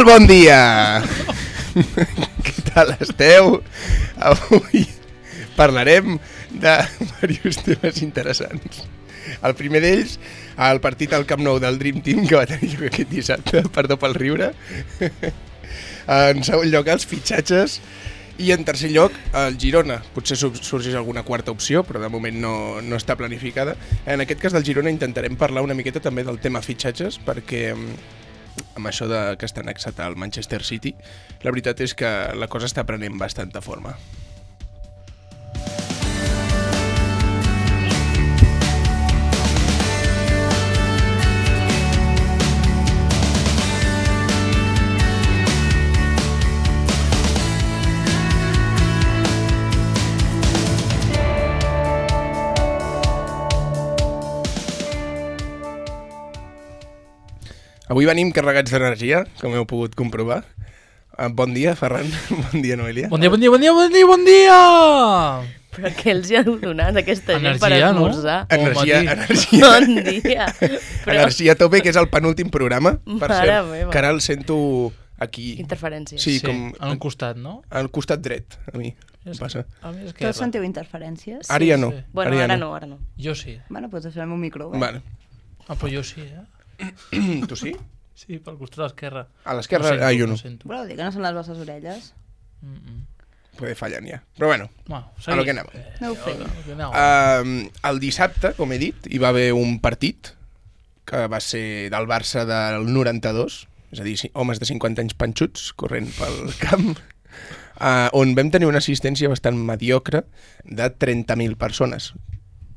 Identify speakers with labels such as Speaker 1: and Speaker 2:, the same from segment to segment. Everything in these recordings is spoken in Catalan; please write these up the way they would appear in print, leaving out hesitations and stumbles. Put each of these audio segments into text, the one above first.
Speaker 1: Molt bon dia! Què tal esteu? Avui parlarem de diversos temes interessants. El primer d'ells, el partit al Camp Nou del Dream Team que va tenir lloc aquest dissabte, perdó pel riure. En segon lloc, els fitxatges. I en tercer lloc, el Girona. Potser sorgeix alguna quarta opció, però de moment no està planificada. En aquest cas del Girona intentarem parlar una miqueta també del tema fitxatges, perquè amb això que està annexat al Manchester City, la veritat és que la cosa està prenent bastanta forma. Avui venim carregats d'energia, com heu pogut comprovar. Bon dia, Ferran. Bon dia, Noelia.
Speaker 2: Bon dia!
Speaker 3: Però què els hi heu donat aquesta gent per
Speaker 2: Energia, no?
Speaker 3: esmorzar?
Speaker 1: Energia.
Speaker 3: Bon dia.
Speaker 1: Energia a tope, que és el penúltim programa. Per
Speaker 3: Mare
Speaker 1: cert,
Speaker 3: meva.
Speaker 1: que ara el sento aquí.
Speaker 3: Interferències.
Speaker 1: Sí,
Speaker 2: Sí,
Speaker 1: com
Speaker 2: en un costat, no?
Speaker 1: al costat dret, a mi. Em passa.
Speaker 2: A mi
Speaker 4: Tots sentiu interferències?
Speaker 1: Ara ja no.
Speaker 2: sí.
Speaker 3: Bueno, ara no.
Speaker 2: Jo sí.
Speaker 4: Bueno, doncs deixarem un micro. Va.
Speaker 1: Vale.
Speaker 2: Ah, però jo sí,
Speaker 1: Tu sí?
Speaker 2: Sí, pel costat esquerre.
Speaker 1: A l'esquerra, jo no.
Speaker 2: sento.
Speaker 4: Voleu dir que no són les vostres orelles?
Speaker 1: Poder fallant ja. Però bueno,
Speaker 2: Bueno,
Speaker 1: a lo que anem.
Speaker 4: Aneu fent.
Speaker 1: El dissabte, com he dit, hi va haver un partit que va ser del Barça del 92, és a dir, homes de 50 anys panxuts corrent pel camp, on vam tenir una assistència bastant mediocre de 30.000 persones,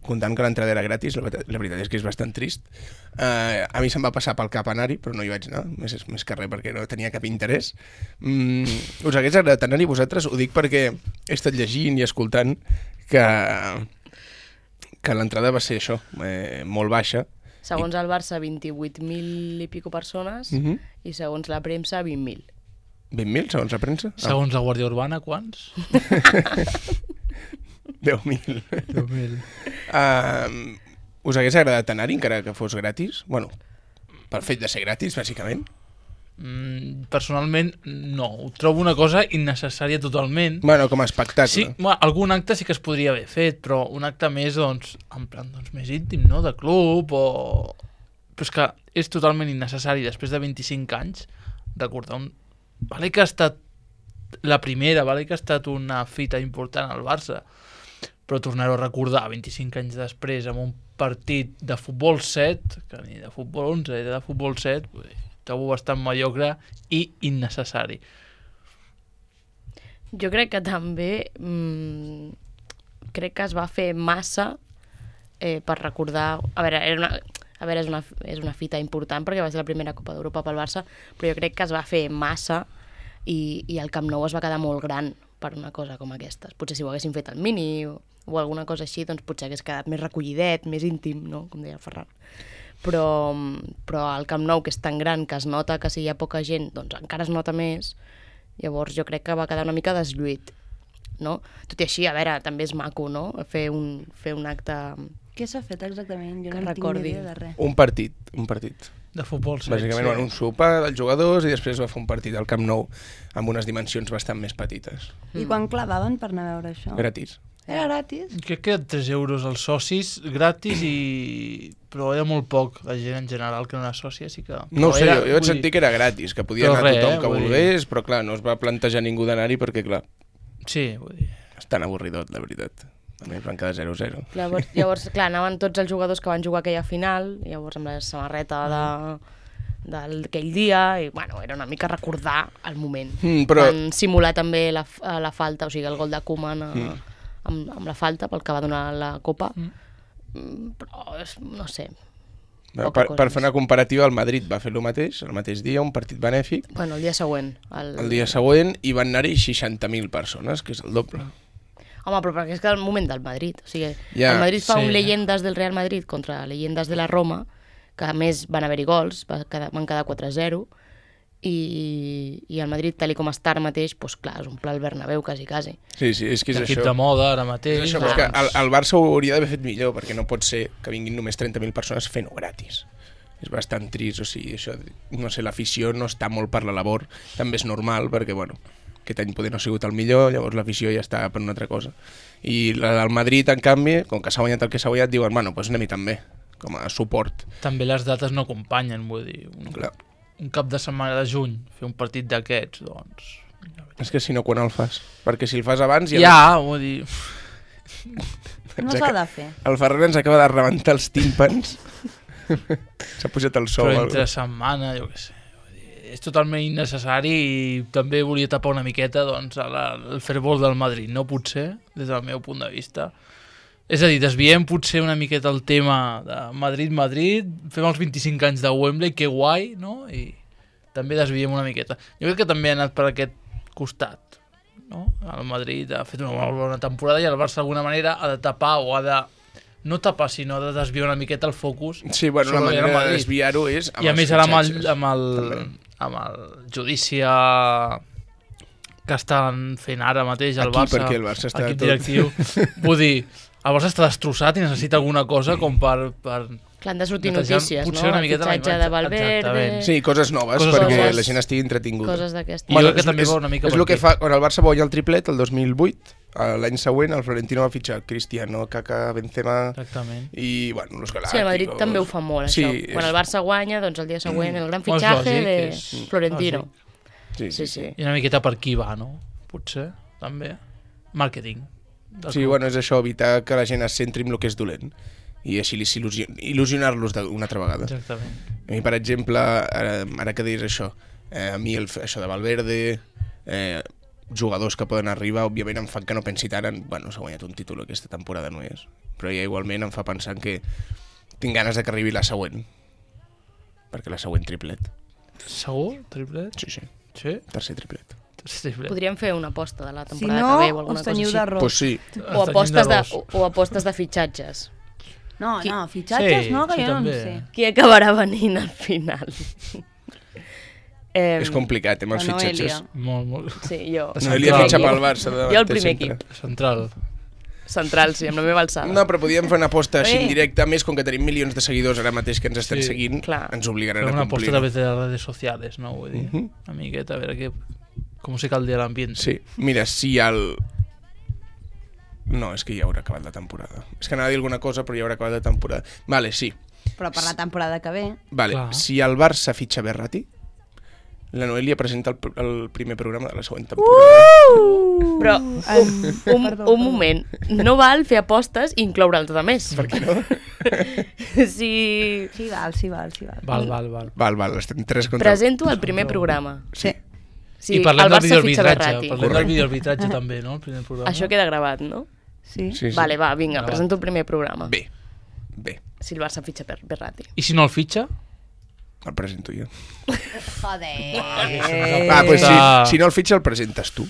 Speaker 1: comptant que l'entrada era gratis. La veritat és que és bastant trist. A mi se'm va passar pel cap anar-hi, però no hi vaig anar, més que res perquè no tenia cap interès. Us hagués agradat anar-hi vosaltres? Ho dic perquè he estat llegint i escoltant que l'entrada va ser això, molt baixa.
Speaker 3: Segons el Barça, 28.000 i pico persones, i segons la premsa, 20.000.
Speaker 1: 20.000, segons la premsa?
Speaker 2: Segons la Guàrdia Urbana, quants?
Speaker 1: 10.000.
Speaker 2: 10.000.
Speaker 1: Us hagués agradat anar-hi encara que fos gratis? Bueno, pel fet de ser gratis, bàsicament.
Speaker 2: Personalment, no. Ho trobo una cosa innecessària totalment.
Speaker 1: Bueno, com a espectacle.
Speaker 2: Sí, bueno, algun acte sí que es podria haver fet, però un acte més, doncs, en plan, doncs, més íntim, no?, de club, o... Però és que és totalment innecessari, després de 25 anys, recordar un... Vale que ha estat la primera, vale que ha estat una fita important al Barça, però tornar-ho a recordar 25 anys després amb un partit de futbol 7, que ni de futbol 11, era de futbol 7, trobo bastant mediocre i innecessari.
Speaker 3: Jo crec que també crec que es va fer massa per recordar... A veure, és una fita important perquè va ser la primera Copa d'Europa pel Barça, però jo crec que es va fer massa i el Camp Nou es va quedar molt gran per una cosa com aquesta. Potser si ho haguessin fet al Mini o alguna cosa així, doncs potser hagués quedat més recollidet, més íntim, no?, com deia el Ferran. Però el Camp Nou, que és tan gran que es nota que si hi ha poca gent, doncs encara es nota més. Llavors jo crec que va quedar una mica deslluït, no? Tot i així, a veure, també és maco, no?, fer un acte...
Speaker 4: Què s'ha fet exactament? Jo
Speaker 3: Que
Speaker 4: no
Speaker 3: recordi.
Speaker 4: tinc ni idea de res.
Speaker 1: Un partit.
Speaker 2: De futbol 7.
Speaker 1: Bàsicament, bueno, un sopar dels jugadors i després va fer un partit al Camp Nou amb unes dimensions bastant més petites.
Speaker 4: I quan clavaven per anar a veure això?
Speaker 1: Gratis.
Speaker 4: Era gratis?
Speaker 2: Crec que 3 euros als socis, gratis, però era molt poc. La gent en general que no era sòcia, sí que...
Speaker 1: No ho sé,
Speaker 2: era,
Speaker 1: jo vaig sentir que era gratis, que podia
Speaker 2: Però
Speaker 1: anar
Speaker 2: res,
Speaker 1: tothom que
Speaker 2: vull dir-
Speaker 1: volgués, però clar, no es va plantejar ningú d'anar-hi perquè, clar,
Speaker 2: Sí, vull dir...
Speaker 1: és tan avorridot, la veritat. A mi van quedar 0-0.
Speaker 3: Llavors, clar, anaven tots els jugadors que van jugar aquella final, llavors amb la samarreta d'aquell dia, i bueno, era una mica recordar el moment.
Speaker 1: Però-
Speaker 3: Van simular també la falta, o sigui, el gol de Koeman amb la falta pel que va donar la Copa, però no sé.
Speaker 1: Per fer una comparativa, el Madrid va fer el mateix dia, un partit benèfic,
Speaker 3: Bueno, el dia següent.
Speaker 1: el dia següent, i van anar-hi 60.000 persones, que és el doble.
Speaker 3: Home, però perquè és que el moment del Madrid. O sigui,
Speaker 1: Ja,
Speaker 3: el Madrid fa
Speaker 2: sí.
Speaker 3: un Leyendas del Real Madrid contra Leyendas de la Roma, que a més van haver-hi gols, van quedar 4-0, i el Madrid, tal com està ara mateix, doncs clar, és un pla al Bernabéu, quasi.
Speaker 1: Sí, és que és
Speaker 2: Equip
Speaker 1: això.
Speaker 2: de moda ara
Speaker 1: És
Speaker 2: mateix.
Speaker 1: això, però és que el Barça ho hauria d'haver fet millor, perquè no pot ser que vinguin només 30.000 persones fent-ho gratis. és bastant trist, o sigui, això, no sé, l'afició no està molt per la labor, també és normal, perquè, bueno, aquest any poder no ha sigut el millor, llavors l'afició ja està per una altra cosa. I la del Madrid, en canvi, com que s'ha guanyat el que s'ha guanyat, diuen, bueno, doncs anem-hi també, com a suport.
Speaker 2: També les dates no acompanyen, vull dir, un cap de setmana de juny, fer un partit d'aquests, doncs...
Speaker 1: És que si no, quan el fas? Perquè si el fas abans...
Speaker 2: vull dir...
Speaker 4: No s'ha de fer.
Speaker 1: El Ferran ens acaba de rebentar els tímpans. S'ha pujat el sol.
Speaker 2: Però entre setmana, jo què sé. És totalment innecessari i també volia tapar una miqueta doncs, el fervor del Madrid, no? Potser, des del meu punt de vista. És a dir, desviem potser una miqueta el tema de Madrid, fem els 25 anys de Wembley, que guai, no? I també desviem una miqueta. Jo crec que també ha anat per aquest costat. No? El Madrid ha fet una molt bona temporada i el Barça d'alguna manera ha de tapar o ha de no tapar, sinó de desviar una miqueta el focus.
Speaker 1: Sí, bueno, la manera de desviar-ho és
Speaker 2: i a més ara amb el judici que estan fent ara mateix el
Speaker 1: Aquí,
Speaker 2: Barça,
Speaker 1: perquè el Barça està
Speaker 2: equip directiu, vull dir, el Barça està destrossat i necessita alguna cosa com per
Speaker 3: clar, han de sortir notícies, no?
Speaker 2: Potser una miqueta
Speaker 3: el fitxatge de Valverde...
Speaker 1: Sí, coses noves, perquè la gent estigui entretinguda.
Speaker 3: Coses d'aquestes.
Speaker 2: I jo crec que també va una mica
Speaker 1: és el que fa, quan el Barça va guanyar el triplet, el 2008, l'any següent el Florentino va fitxar Cristiano, Kaká, Benzema...
Speaker 2: Exactament.
Speaker 1: I, bueno, los Galácticos...
Speaker 3: Sí, el Madrid també ho fa molt, això. Quan el Barça guanya, doncs el dia següent, el gran fitxatge de Florentino.
Speaker 1: Sí.
Speaker 2: I una miqueta per qui va, no? Potser, també. Màrqueting.
Speaker 1: Sí, bueno, és això, evitar que la gent es centri en el que és dolent. I així il·lusionar-los una altra vegada.
Speaker 2: Exactament.
Speaker 1: A mi, per exemple, ara que deies això, a mi això de Valverde, jugadors que poden arribar, òbviament em fan que no pensi tant en, bueno, s'ha guanyat un títol aquesta temporada, no és, però ja igualment em fa pensar que tinc ganes de que arribi la següent, perquè la següent triplet.
Speaker 2: Segur? Triplet?
Speaker 1: Sí.
Speaker 2: Tercer
Speaker 1: triplet.
Speaker 3: Podríem fer una aposta de la temporada que ve o alguna cosa així.
Speaker 1: Pues sí.
Speaker 3: O apostes de fitxatges.
Speaker 4: No, fitxatges no, que jo no sé.
Speaker 3: Qui acabarà venint al final?
Speaker 1: És complicat, amb els fitxatges.
Speaker 2: Molt.
Speaker 3: Sí, jo.
Speaker 1: Noelia fitxa pel Barça.
Speaker 3: Jo el primer equip. Central, sí, amb la meva alçada.
Speaker 1: No, però podíem fer una aposta així indirecta, més com que tenim milions de seguidors ara mateix que ens estan seguint, ens obligaran a complir.
Speaker 2: Una aposta a través de les redes socials, no? Vull dir, una miqueta, a veure com se caldea l'ambient.
Speaker 1: Sí, mira, si el... No, és que ja haurà acabat la temporada. És que anava a dir alguna cosa, però ja haurà acabat la temporada. Vale, sí.
Speaker 4: Però per la temporada que ve...
Speaker 1: Vale, si el Barça fitxa Verratti, la Noelia presenta el primer programa de la següent temporada.
Speaker 3: Però, un moment, no val fer apostes i incloure els altres.
Speaker 1: Per què no?
Speaker 4: Sí, val.
Speaker 1: Val, estem 3 contra...
Speaker 3: Presento el primer programa.
Speaker 1: Sí.
Speaker 2: I parlem del videoarbitratge també, no? El primer programa.
Speaker 3: Això queda gravat, no?
Speaker 4: Sí.
Speaker 3: Vale, va, vinga, presento el primer programa.
Speaker 1: Bé.
Speaker 3: Si el Barça fitxa per Verratti.
Speaker 2: I si no el fitxa?
Speaker 1: El presento jo.
Speaker 4: Joder.
Speaker 1: Pues si no el fitxa el presentes tu.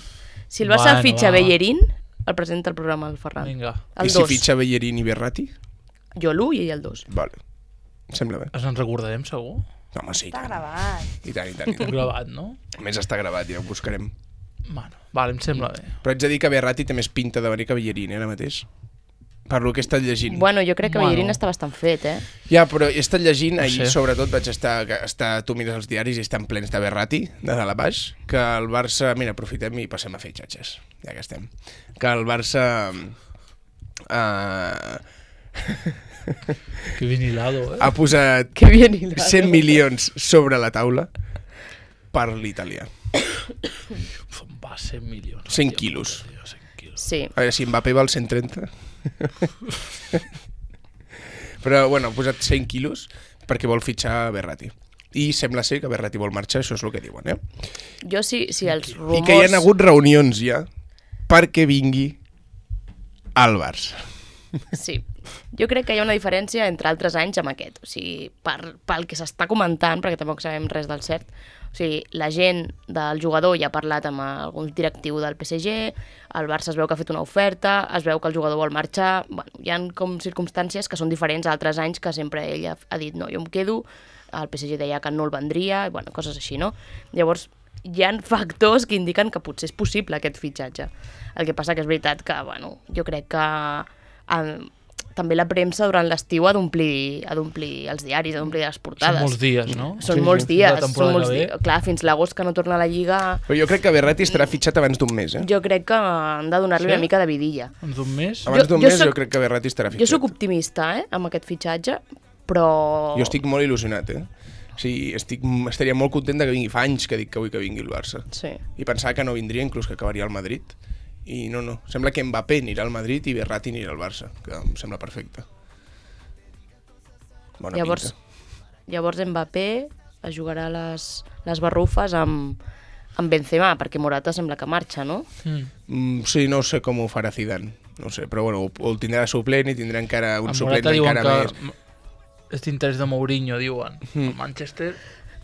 Speaker 3: Si el Barça fitxa Bellerín, el presenta el programa el Ferran.
Speaker 2: Vinga.
Speaker 1: I si fitxa Bellerín i Verratti?
Speaker 3: Jo l'1 i ell el 2.
Speaker 1: Vale. Em sembla bé.
Speaker 2: Ens en recordarem, segur?
Speaker 1: Home, sí.
Speaker 4: Està gravat.
Speaker 1: I tant.
Speaker 2: Gravat, no?
Speaker 1: A més està gravat, ja ho buscarem.
Speaker 2: Bueno, vale, em sembla bé.
Speaker 1: Però haig de dir que Verratti té més pinta de venir que Bellerín, ara mateix. Per lo que he estat llegint.
Speaker 3: Bueno, jo crec que Bellerín està bastant fet,
Speaker 1: Ja, però he estat llegint, ahir sobretot vaig estar... Tu mires els diaris i estan plens de Verratti, de dalt a baix, que el Barça... Mira, aprofitem i passem a fer xatxes, ja que estem. Que el Barça...
Speaker 2: Que bien hilado,
Speaker 1: ha posat 100 milions sobre la taula per l'italià.
Speaker 2: Va, 100 milions.
Speaker 1: 100 quilos.
Speaker 3: Sí.
Speaker 1: A veure, si Mbappé val 130. Però, bueno, ha posat 100 quilos perquè vol fitxar Verratti. I sembla ser que Verratti vol marxar, això és el que diuen,
Speaker 3: Jo sí, els rumors...
Speaker 1: I que hi ha hagut reunions ja perquè vingui al Barça.
Speaker 3: Sí, jo crec que hi ha una diferència entre altres anys amb aquest. O sigui, pel que s'està comentant, perquè tampoc sabem res del cert, o sigui, la gent del jugador ja ha parlat amb algun directiu del PSG, el Barça es veu que ha fet una oferta, es veu que el jugador vol marxar... Bueno, hi ha com circumstàncies que són diferents a altres anys que sempre ell ha dit no, jo em quedo, el PSG deia que no el vendria, bueno, coses així, no? Llavors, hi ha factors que indiquen que potser és possible aquest fitxatge. El que passa que és veritat que, bueno, jo crec que... també la premsa durant l'estiu ha d'omplir els diaris, ha d'omplir les portades.
Speaker 2: Són molts dies, no?
Speaker 3: Són molts dies.
Speaker 2: La temporada
Speaker 3: Són molts
Speaker 2: que ve.
Speaker 3: dies. Clar, fins l'agost que no torna a la Lliga...
Speaker 1: Però jo crec que Berratti estarà fitxat abans d'un mes,
Speaker 3: Jo crec que han de donar-li
Speaker 2: Sí?
Speaker 3: una mica de vidilla.
Speaker 2: En un mes?
Speaker 1: Abans d'un
Speaker 3: jo
Speaker 1: mes
Speaker 3: soc-
Speaker 1: jo crec que Berratti estarà fitxat.
Speaker 3: Jo sóc optimista, amb aquest fitxatge, però...
Speaker 1: Jo estic molt il·lusionat, O sigui, estaria molt content de que vingui. Fa anys que dic que vull que vingui el Barça.
Speaker 3: Sí.
Speaker 1: I pensava que no vindria, inclús que acabaria al Madrid. I no. Sembla que Mbappé anirà al Madrid i Berratti anirà al Barça, que em sembla perfecte. Bona
Speaker 3: Llavors Mbappé es jugarà les barrufes amb Benzema, perquè Morata sembla que marxa, no?
Speaker 2: Mm.
Speaker 1: Sí, no sé com ho farà Zidane. No sé, però bueno, o el tindrà de suplent i tindrà encara un
Speaker 2: En
Speaker 1: suplent
Speaker 2: Morata diuen
Speaker 1: encara
Speaker 2: que
Speaker 1: més.
Speaker 2: és d'interès de Mourinho, diuen. El Manchester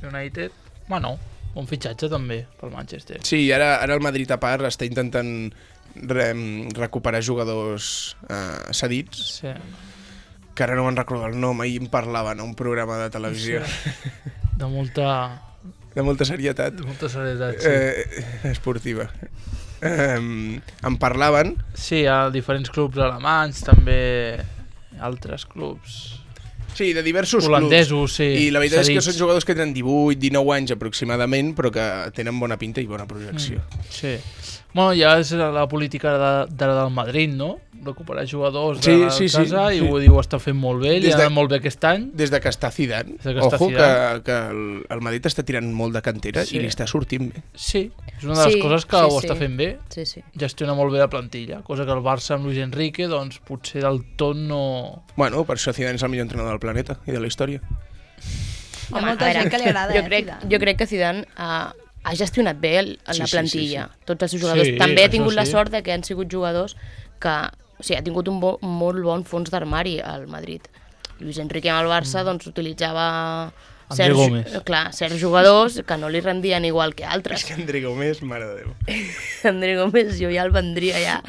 Speaker 2: United... Bueno, un fitxatge també pel Manchester.
Speaker 1: Sí, ara el Madrid a part està intentant recuperar jugadors cedits,
Speaker 2: Sí.
Speaker 1: que ara no me'n recordo el nom, ahir em parlaven a un programa de televisió
Speaker 2: De molta
Speaker 1: de molta serietat
Speaker 2: serietat, sí.
Speaker 1: esportiva. Em parlaven.
Speaker 2: Sí, hi ha diferents clubs alemanys, també altres clubs
Speaker 1: Sí, de diversos
Speaker 2: holandesos, sí.
Speaker 1: I la veritat és que
Speaker 2: cedits.
Speaker 1: són jugadors que tenen 18, 19 anys aproximadament, però que tenen bona pinta i bona projecció.
Speaker 2: Sí. Bueno, ja és la política d'ara del Madrid, no? Recuperar jugadors de
Speaker 1: Sí,
Speaker 2: casa
Speaker 1: sí.
Speaker 2: i ho diu, està fent molt bé, li
Speaker 1: Des
Speaker 2: ha
Speaker 1: de-
Speaker 2: anat molt bé aquest any.
Speaker 1: Des de que està Zidane,
Speaker 2: Des de que està
Speaker 1: ojo
Speaker 2: Zidane.
Speaker 1: que el Madrid està tirant molt de cantera
Speaker 2: Sí.
Speaker 1: i li està sortint bé.
Speaker 2: Sí, és una de les
Speaker 3: Sí,
Speaker 2: coses que
Speaker 3: sí,
Speaker 2: ho
Speaker 3: sí.
Speaker 2: està fent bé.
Speaker 3: Sí, sí.
Speaker 2: Gestiona molt bé la plantilla, cosa que el Barça amb Luis Enrique, doncs potser del tot no...
Speaker 1: Bueno, per això Zidane és el millor entrenador del planeta i de la història.
Speaker 4: Hi ha molta gent que li agrada, Zidane.
Speaker 3: Jo crec que Zidane ha gestionat bé la
Speaker 1: Sí,
Speaker 3: plantilla.
Speaker 1: sí.
Speaker 3: Tots els seus jugadors.
Speaker 2: Sí,
Speaker 3: També ha
Speaker 2: això
Speaker 3: tingut la
Speaker 2: sí.
Speaker 3: sort de que han sigut jugadors que... O sigui, ha tingut un molt bon fons d'armari al Madrid. Luis Enrique amb el Barça doncs, utilitzava
Speaker 2: André Gómez.
Speaker 3: certs jugadors que no li rendien igual que
Speaker 1: És
Speaker 3: altres.
Speaker 1: que André Gómez, mare de Déu.
Speaker 3: André Gómez jo ja el vendria ja.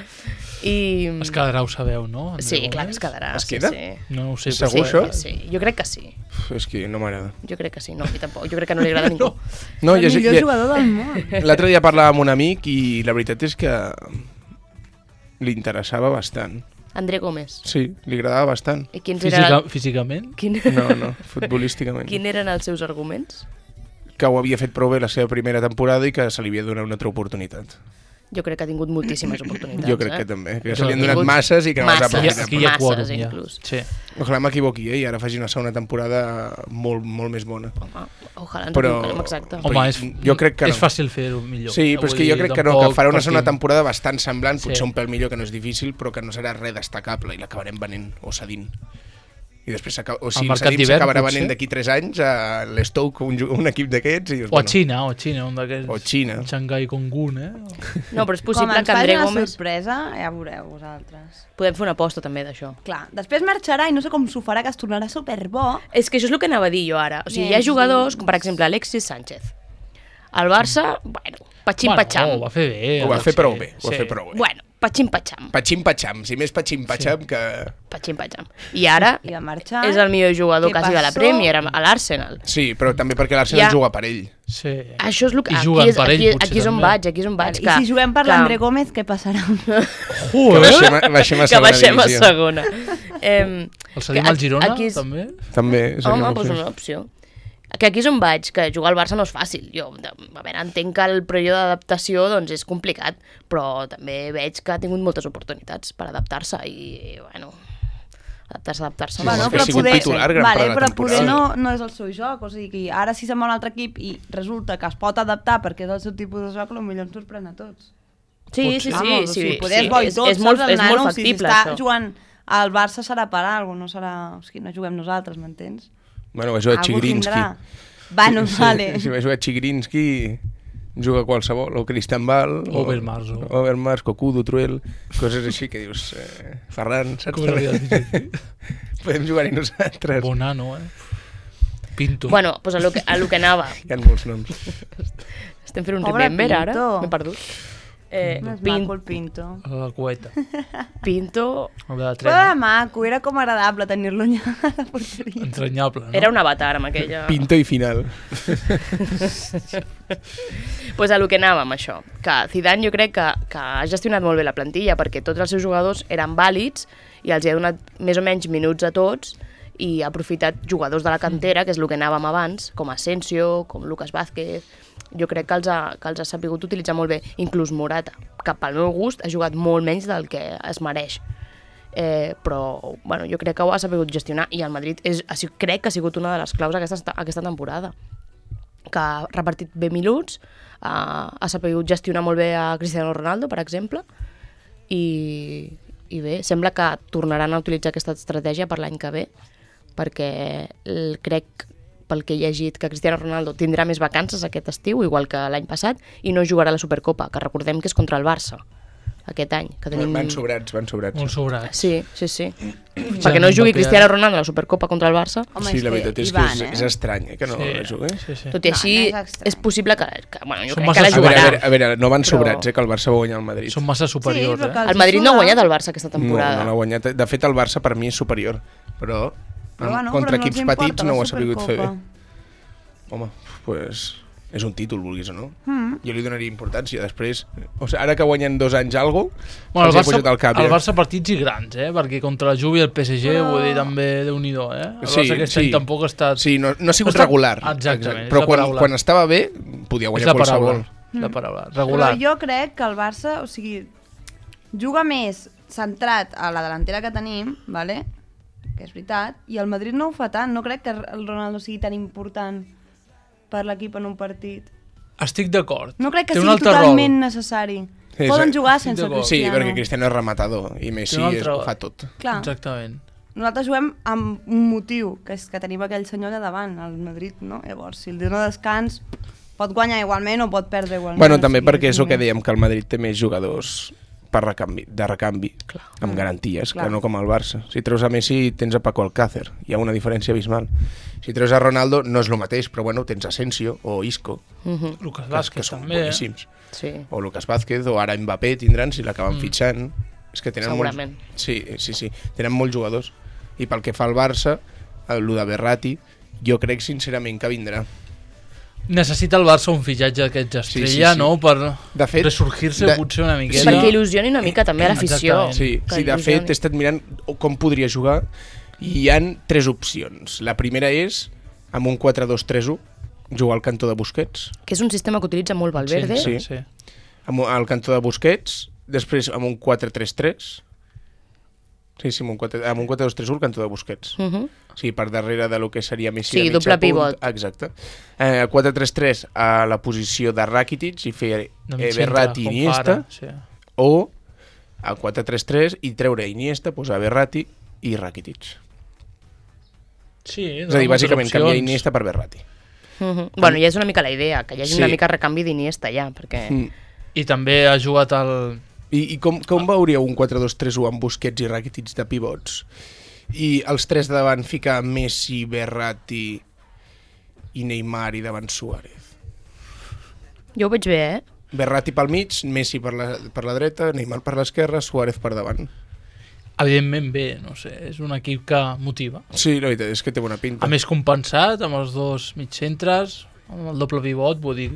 Speaker 3: I...
Speaker 2: Es quedarà, ho sabeu, no? André
Speaker 3: Sí,
Speaker 2: Gómez?
Speaker 3: clar, es quedarà.
Speaker 1: Es
Speaker 3: sí,
Speaker 1: queda?
Speaker 3: Sí.
Speaker 2: No ho sé.
Speaker 1: Segur,
Speaker 2: però-
Speaker 1: això?
Speaker 3: Sí, jo crec que sí.
Speaker 1: És que no m'agrada.
Speaker 3: Jo crec que sí, no, a mi tampoc. Jo crec que no li agrada a ningú.
Speaker 1: No,
Speaker 4: El millor jugador del món.
Speaker 1: L'altre dia parlava amb un amic i la veritat és que li interessava bastant.
Speaker 3: André Gómez.
Speaker 1: Sí, li agradava bastant.
Speaker 3: I quins eren,
Speaker 2: Físicament?
Speaker 1: No, futbolísticament.
Speaker 3: quin eren els seus arguments?
Speaker 1: Que ho havia fet prou bé la seva primera temporada i que se li havia de donar una altra oportunitat.
Speaker 3: Jo crec que ha tingut moltíssimes oportunitats.
Speaker 1: Jo crec que també, que se
Speaker 2: Jo
Speaker 1: li han
Speaker 2: he
Speaker 1: donat
Speaker 3: tingut
Speaker 1: masses i que no les ha
Speaker 3: masses.
Speaker 1: aprofitat.
Speaker 2: Aquí hi ha
Speaker 3: Masses,
Speaker 2: quòrum, ja.
Speaker 3: inclús.
Speaker 2: Sí.
Speaker 1: Ojalà m'equivoqui, I ara faci una segona temporada molt més bona.
Speaker 3: Home, ojalà ens
Speaker 1: Però-
Speaker 3: equivoquem, exacte.
Speaker 1: Però
Speaker 2: Home,
Speaker 1: jo crec que no.
Speaker 2: és fàcil fer-ho millor.
Speaker 1: Sí, però és
Speaker 2: Vull
Speaker 1: que jo
Speaker 2: dir,
Speaker 1: crec que no, que
Speaker 2: tampoc
Speaker 1: farà una segona
Speaker 2: partim-
Speaker 1: temporada bastant semblant, potser
Speaker 2: Sí.
Speaker 1: un pèl millor, que no és difícil, però que no serà res destacable i l'acabarem venent o cedint. I després, o si
Speaker 2: mercat
Speaker 1: cedim,
Speaker 2: d'hivern,
Speaker 1: s'acabarà
Speaker 2: potser?
Speaker 1: venent d'aquí 3 anys a l'Stoke, un equip d'aquests. I dius,
Speaker 2: O a Xina, un d'aquests.
Speaker 1: O Xina.
Speaker 2: Xangai Kongun,
Speaker 3: No, però és
Speaker 4: Com
Speaker 3: possible
Speaker 4: ens
Speaker 3: que
Speaker 4: faci
Speaker 3: André
Speaker 4: una
Speaker 3: Gómez...
Speaker 4: sorpresa, ja veureu vosaltres.
Speaker 3: Podem fer una aposta també d'això.
Speaker 4: Clar, després marxarà i no sé com s'ho farà, que es tornarà superbo.
Speaker 3: És que això és el que anava a dir jo ara. O sigui, hi ha
Speaker 4: Sí.
Speaker 3: jugadors, com per exemple Alexis Sánchez. El Barça, bueno, patxim-patxam.
Speaker 2: ho va fer bé.
Speaker 1: Ho va fer prou bé, ho va
Speaker 2: Sí.
Speaker 1: fer prou bé.
Speaker 3: Bueno, patxim-patxam.
Speaker 1: Patxim-patxam, si més patxim-patxam que...
Speaker 3: Patxim-patxam. I ara
Speaker 4: I va marxar.
Speaker 3: és el millor jugador
Speaker 4: Què
Speaker 3: quasi de la
Speaker 4: passó?
Speaker 3: Premier, a l'Arsenal.
Speaker 1: Sí, però també perquè l'Arsenal
Speaker 3: Ja.
Speaker 1: juga per ell.
Speaker 2: Sí.
Speaker 3: Això és el que...
Speaker 2: I juguen per ell, potser,
Speaker 3: aquí és on
Speaker 2: també.
Speaker 3: vaig, aquí és on vaig.
Speaker 4: I si juguem per l'André Gómez, què passarà?
Speaker 1: Que baixem a
Speaker 3: Que
Speaker 1: segona
Speaker 3: baixem a
Speaker 1: divisió.
Speaker 3: segona.
Speaker 2: El cedim al Girona,
Speaker 3: aquí és...
Speaker 2: també?
Speaker 1: També seria
Speaker 3: Home,
Speaker 1: una
Speaker 3: doncs
Speaker 1: opció.
Speaker 3: una opció. Que aquí és on vaig, que jugar al Barça no és fàcil. Jo, a veure, entenc que el període d'adaptació doncs, és complicat, però també veig que ha tingut moltes oportunitats per adaptar-se i, bueno, adaptar-se.
Speaker 1: Sí, és que ha sigut titular gran part de la
Speaker 4: però
Speaker 1: temporada.
Speaker 4: poder no és el seu joc, o sigui, que ara si se'n va a un altre equip i resulta que es pot adaptar perquè és el seu tipus de joc, potser ens sorprèn a tots.
Speaker 3: Sí, sí, sí.
Speaker 4: Vamos,
Speaker 3: sí,
Speaker 4: o poder
Speaker 3: sí.
Speaker 4: és bo i tot,
Speaker 3: és molt,
Speaker 4: saps, el
Speaker 3: és molt
Speaker 4: nano,
Speaker 3: factible,
Speaker 4: si està
Speaker 3: això.
Speaker 4: jugant al Barça serà per alguna cosa, no serà... O sigui, no juguem nosaltres, m'entens?
Speaker 1: Bueno, va jugar
Speaker 4: Algú
Speaker 1: Chigrinsky.
Speaker 4: tindrà. Bueno, vale.
Speaker 1: Si va jugar Chigrinsky, juga qualsevol, o Cristian Bal,
Speaker 2: Overmars, o-
Speaker 1: Overmars, Cocudo, Truel, coses així que dius, Ferran, saps?
Speaker 2: Com s'hauria de dir?
Speaker 1: Podem jugar-hi nosaltres.
Speaker 2: Bonano, Pinto.
Speaker 3: Bueno, doncs a lo que anava.
Speaker 1: Hi ha molts noms.
Speaker 3: Estem fent un
Speaker 4: Pobre
Speaker 3: remember ara?
Speaker 4: Pinto.
Speaker 3: M'he perdut.
Speaker 4: És maco el Pinto.
Speaker 2: La cueta.
Speaker 3: Pinto
Speaker 2: El de la
Speaker 4: Però era
Speaker 2: trena.
Speaker 4: maco, era com agradable tenir-lo allà a la porteria.
Speaker 2: Entranyable, no?
Speaker 3: era un avatar amb aquella...
Speaker 1: Pinto i final.
Speaker 3: Pues a lo que anàvem, això. Que Zidane jo crec que ha gestionat molt bé la plantilla perquè tots els seus jugadors eren vàlids i els hi ha donat més o menys minuts a tots i ha aprofitat jugadors de la cantera, que és el que anàvem abans, com Asensio, com Lucas Vázquez. Jo crec que els ha sabut utilitzar molt bé. Inclús Morata, que pel meu gust ha jugat molt menys del que es mereix. Però bueno, jo crec que ho ha sabut gestionar i el Madrid crec que ha sigut una de les claus aquesta temporada, que ha repartit bé minuts, ha sabut gestionar molt bé a Cristiano Ronaldo, per exemple, i bé, sembla que tornaran a utilitzar aquesta estratègia per l'any que ve, perquè crec, pel que he llegit, que Cristiano Ronaldo tindrà més vacances aquest estiu, igual que l'any passat, i no jugarà a la Supercopa, que recordem que és contra el Barça aquest any. Que tenim...
Speaker 1: Van sobrats.
Speaker 2: Molt sobrats.
Speaker 3: Sí. Perquè no jugui Cristiano Ronaldo a la Supercopa contra el Barça.
Speaker 4: Home,
Speaker 1: Sí, la veritat és que és estrany, que no la jugui.
Speaker 2: Sí.
Speaker 3: Tot i així,
Speaker 4: No, no és estrany.
Speaker 3: és possible que bueno, jo
Speaker 2: Són
Speaker 3: crec que la
Speaker 2: massa
Speaker 3: jugarà.
Speaker 1: A veure, no van
Speaker 3: Però-
Speaker 1: sobrats, que el Barça va guanyar el Madrid.
Speaker 2: Són massa superiors,
Speaker 4: però que
Speaker 3: El Madrid no ha guanyat el Barça aquesta temporada.
Speaker 1: No l'ha guanyat. De fet, el Barça per mi és superior, però
Speaker 4: bueno,
Speaker 1: contra
Speaker 4: però
Speaker 1: equips
Speaker 4: els importa
Speaker 1: petits
Speaker 4: la
Speaker 1: no ho ha sabut fer bé.
Speaker 4: Supercopa.
Speaker 1: Home, pues és un títol, vulguis o no. Jo li donaria importància. Després, o sigui, ara que guanyen 2 anys algo,
Speaker 2: Bueno,
Speaker 1: els he pujat al cap.
Speaker 2: el Barça partits i grans, perquè contra la Juve i el PSG, vull dir, també Déu-n'hi-do, El Barça aquest any tampoc ha estat...
Speaker 1: Sí, no ha sigut
Speaker 2: ha estat-
Speaker 1: regular.
Speaker 2: Exactament,
Speaker 1: Però
Speaker 2: és la paraula.
Speaker 1: quan estava bé, podia
Speaker 2: És
Speaker 1: guanyar
Speaker 2: la paraula.
Speaker 1: qualsevol.
Speaker 2: La paraula. Regular.
Speaker 4: Però jo crec que el Barça, o sigui, juga més centrat a la delantera que tenim, vale? Que és veritat, i el Madrid no ho fa tant. No crec que el Ronaldo sigui tan important per l'equip en un partit.
Speaker 2: Estic d'acord.
Speaker 4: No crec que
Speaker 2: Té un
Speaker 4: sigui
Speaker 2: altre
Speaker 4: totalment
Speaker 2: rol.
Speaker 4: necessari.
Speaker 1: Sí,
Speaker 4: Poden
Speaker 1: sí.
Speaker 4: jugar
Speaker 2: Estic
Speaker 4: sense
Speaker 2: d'acord.
Speaker 1: Sí,
Speaker 4: Cristiano.
Speaker 1: perquè Cristiano és rematador i Messi
Speaker 2: Té un altre-
Speaker 1: ho fa tot.
Speaker 4: Clar,
Speaker 2: Exactament.
Speaker 4: nosaltres juguem amb un motiu, que és que tenim aquell senyor allà davant, el Madrid, no? Llavors, si el dona descans, pot guanyar igualment o pot perdre igualment.
Speaker 1: Bueno, també
Speaker 4: o sigui,
Speaker 1: perquè és el que
Speaker 4: nivell.
Speaker 1: dèiem, que el Madrid té més jugadors de recanvi, amb garanties,
Speaker 4: Clar.
Speaker 1: que no com el Barça. Si treus a Messi, tens a Paco Alcácer. Hi ha una diferència abismal. Si treus a Ronaldo, no és el mateix, però bueno, tens Asensio o Isco,
Speaker 2: Lucas
Speaker 1: que
Speaker 2: Vázquez
Speaker 1: són
Speaker 2: també.
Speaker 1: boníssims.
Speaker 3: Sí.
Speaker 1: O Lucas Vázquez, o ara Mbappé tindran, si l'acaben fitxant. És que tenen
Speaker 3: Segurament.
Speaker 1: Sí, tenen molts jugadors. I pel que fa al Barça, el de Berratti, jo crec sincerament que vindrà.
Speaker 2: Necessita el Barça un fitxatge d'aquests estrella,
Speaker 1: sí.
Speaker 2: no? Per
Speaker 1: De fet,
Speaker 2: ressorgir-se potser una miqueta.
Speaker 3: Perquè il·lusioni una mica també a l'afició.
Speaker 2: Exactament.
Speaker 1: Sí,
Speaker 3: Que
Speaker 1: sí, de
Speaker 3: il·lusioni.
Speaker 1: fet he estat mirant com podria jugar i hi han 3 opcions. La primera és amb un 4-2-3-1, jugar al cantó de Busquets,
Speaker 3: Que és un sistema que utilitza molt Valverde.
Speaker 1: Sí.
Speaker 2: sí.
Speaker 1: al cantó de Busquets, després amb un 4-3-3, amb un 4-2-3-1 al cantó de Busquets. Sí, per darrere de lo que seria Messi
Speaker 3: Sí,
Speaker 1: de mig
Speaker 3: doble
Speaker 1: a punt.
Speaker 3: pivot.
Speaker 1: Exacte. 4-3-3 a la posició de Rakitic i fer
Speaker 2: De mig
Speaker 1: Verratti i
Speaker 2: centre, com
Speaker 1: Iniesta,
Speaker 2: fa ara, sí.
Speaker 1: o a 4-3-3 i treure Iniesta, posar Verratti i Rakitic.
Speaker 2: Sí,
Speaker 1: És a dir, bàsicament canviar Iniesta per Verratti.
Speaker 3: Bueno, ja és una mica la idea, que hi hagi
Speaker 1: Sí.
Speaker 3: una mica recanvi d'Iniesta ja, perquè...
Speaker 2: I també ha jugat el...
Speaker 1: I com veuríeu un 4-2-3-1 amb Busquets i Rakitic de pivots? I els 3 de davant ficar Messi, Verratti i Neymar i davant Suárez.
Speaker 3: Jo ho veig bé,
Speaker 1: Verratti pel mig, Messi per la dreta, Neymar per l'esquerra, Suárez per davant.
Speaker 2: Evidentment bé, no sé, és un equip que motiva.
Speaker 1: Sí, la veritat és que té bona pinta.
Speaker 2: A més compensat, amb els dos mitjcentres, amb el doble pivot, vull dir,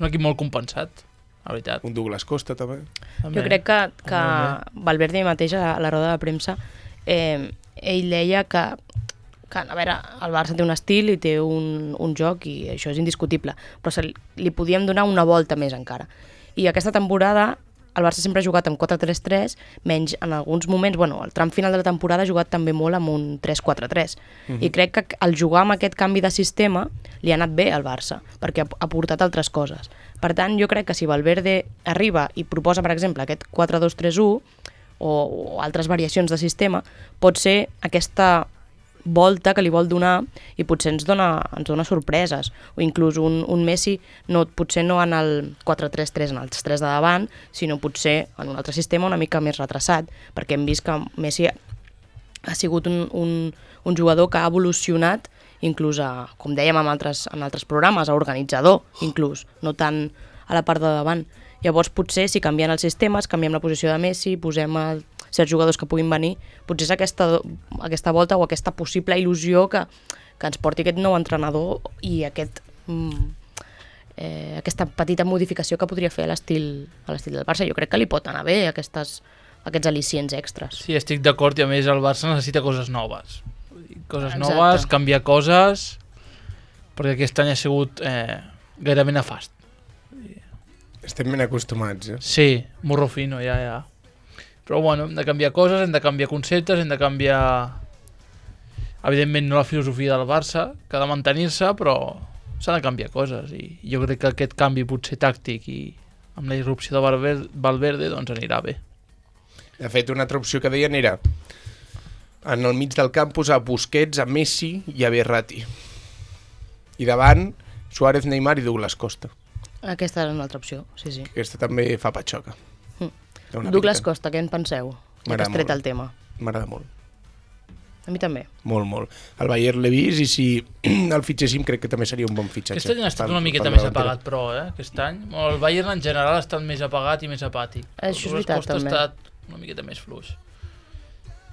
Speaker 2: un equip molt compensat, la veritat.
Speaker 1: Un Douglas Costa també.
Speaker 2: També.
Speaker 3: Jo crec que
Speaker 2: També.
Speaker 3: Valverde mateix a la roda de premsa ell deia que a veure, el Barça té un estil i té un joc i això és indiscutible, però li podíem donar una volta més encara. I aquesta temporada el Barça sempre ha jugat amb 4-3-3, menys en alguns moments, bueno, al tram final de la temporada ha jugat també molt amb un 3-4-3. I crec que al jugar amb aquest canvi de sistema li ha anat bé al Barça, perquè ha portat altres coses. Per tant, jo crec que si Valverde arriba i proposa, per exemple, aquest 4-2-3-1 o altres variacions de sistema, pot ser aquesta volta que li vol donar i potser ens dona sorpreses, o inclús un Messi potser no en el 4-3-3 en els 3 de davant, sinó potser en un altre sistema una mica més retrasat, perquè hem vist que Messi ha sigut un jugador que ha evolucionat inclús com dèiem en altres programes, a organitzador inclús, no tant a la part de davant, Llavors potser si canvien els sistemes, canviem la posició de Messi, posem certs jugadors que puguin venir, potser és aquesta volta o aquesta possible il·lusió que ens porti aquest nou entrenador i aquesta petita modificació que podria fer a l'estil del Barça. Jo crec que li pot anar bé aquests al·licients extras.
Speaker 2: Sí, estic d'acord, i a més el Barça necessita coses noves. Coses
Speaker 3: Exacte.
Speaker 2: noves, canviar coses, perquè aquest any ha sigut gairebé nefast.
Speaker 1: Estem ben acostumats, eh?
Speaker 2: Sí, morro fino, ja. Però bueno, hem de canviar coses, hem de canviar conceptes, hem de canviar... Evidentment no la filosofia del Barça, que ha de mantenir-se, però s'ha de canviar coses, i jo crec que aquest canvi potser tàctic i amb la irrupció de Valverde doncs anirà bé.
Speaker 1: De fet, una altra opció que deien era en el mig del camp posar Busquets, a Messi i a Verratti. I davant, Suárez, Neymar i Douglas Costa.
Speaker 3: Aquesta és una altra opció, sí.
Speaker 1: Aquesta també fa patxoca.
Speaker 3: Douglas Costa, què en penseu? Ja que has tret el tema.
Speaker 1: M'agrada molt.
Speaker 3: A mi també.
Speaker 1: Molt, molt. El Bayern l'he vist i si el fitxéssim crec que també seria un bon fitxatge.
Speaker 2: Aquest any ha estat una miqueta més apagat, però, aquest any. El Bayern en general ha estat més apagat i més apàtic.
Speaker 3: Això és veritat, també.
Speaker 2: Ha estat una miqueta més fluix.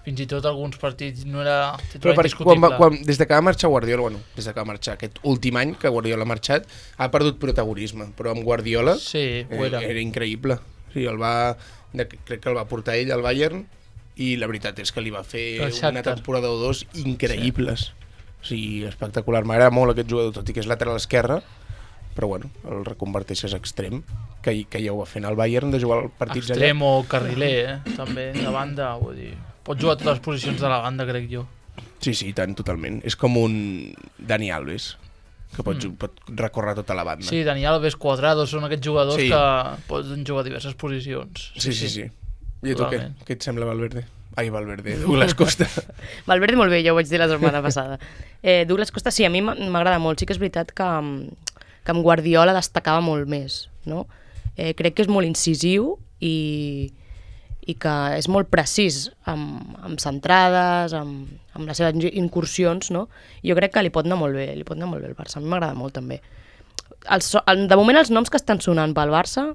Speaker 2: Fins i tot alguns partits no era
Speaker 1: titular indiscutible. Des de que va marxar Guardiola, des de que va marxar aquest últim any que Guardiola ha marxat, ha perdut protagonisme, però amb Guardiola era increïble. Sí, crec que el va portar ell al Bayern i la veritat és que li va fer una temporada o dos increïbles. O sigui, espectacular. M'agrada molt aquest jugador, tot i que és lateral esquerre, però bueno, el reconverteixes extrem, que ja ho va fer al Bayern, de jugar partits allà.
Speaker 2: Extrem o carriler, també, de banda, vull dir. Pot jugar a totes les posicions de la banda, crec jo.
Speaker 1: Sí, tant, totalment. És com un Dani Alves, que pot recórrer tota la banda.
Speaker 2: Sí, Dani Alves, Cuadrado, són aquests jugadors que poden jugar a diverses posicions.
Speaker 1: Sí. I a tu què? Què et sembla Valverde? Ai, Valverde, Douglas Costa.
Speaker 3: Valverde molt bé, ja ho vaig dir la setmana passada. Douglas Costa, sí, a mi m'agrada molt. Sí que és veritat que amb Guardiola destacava molt més, no? Crec que és molt incisiu i que és molt precís amb centrades, amb les seves incursions, no? Jo crec que li pot anar molt bé el Barça. A mi m'agrada molt, també. De moment, els noms que estan sonant pel Barça,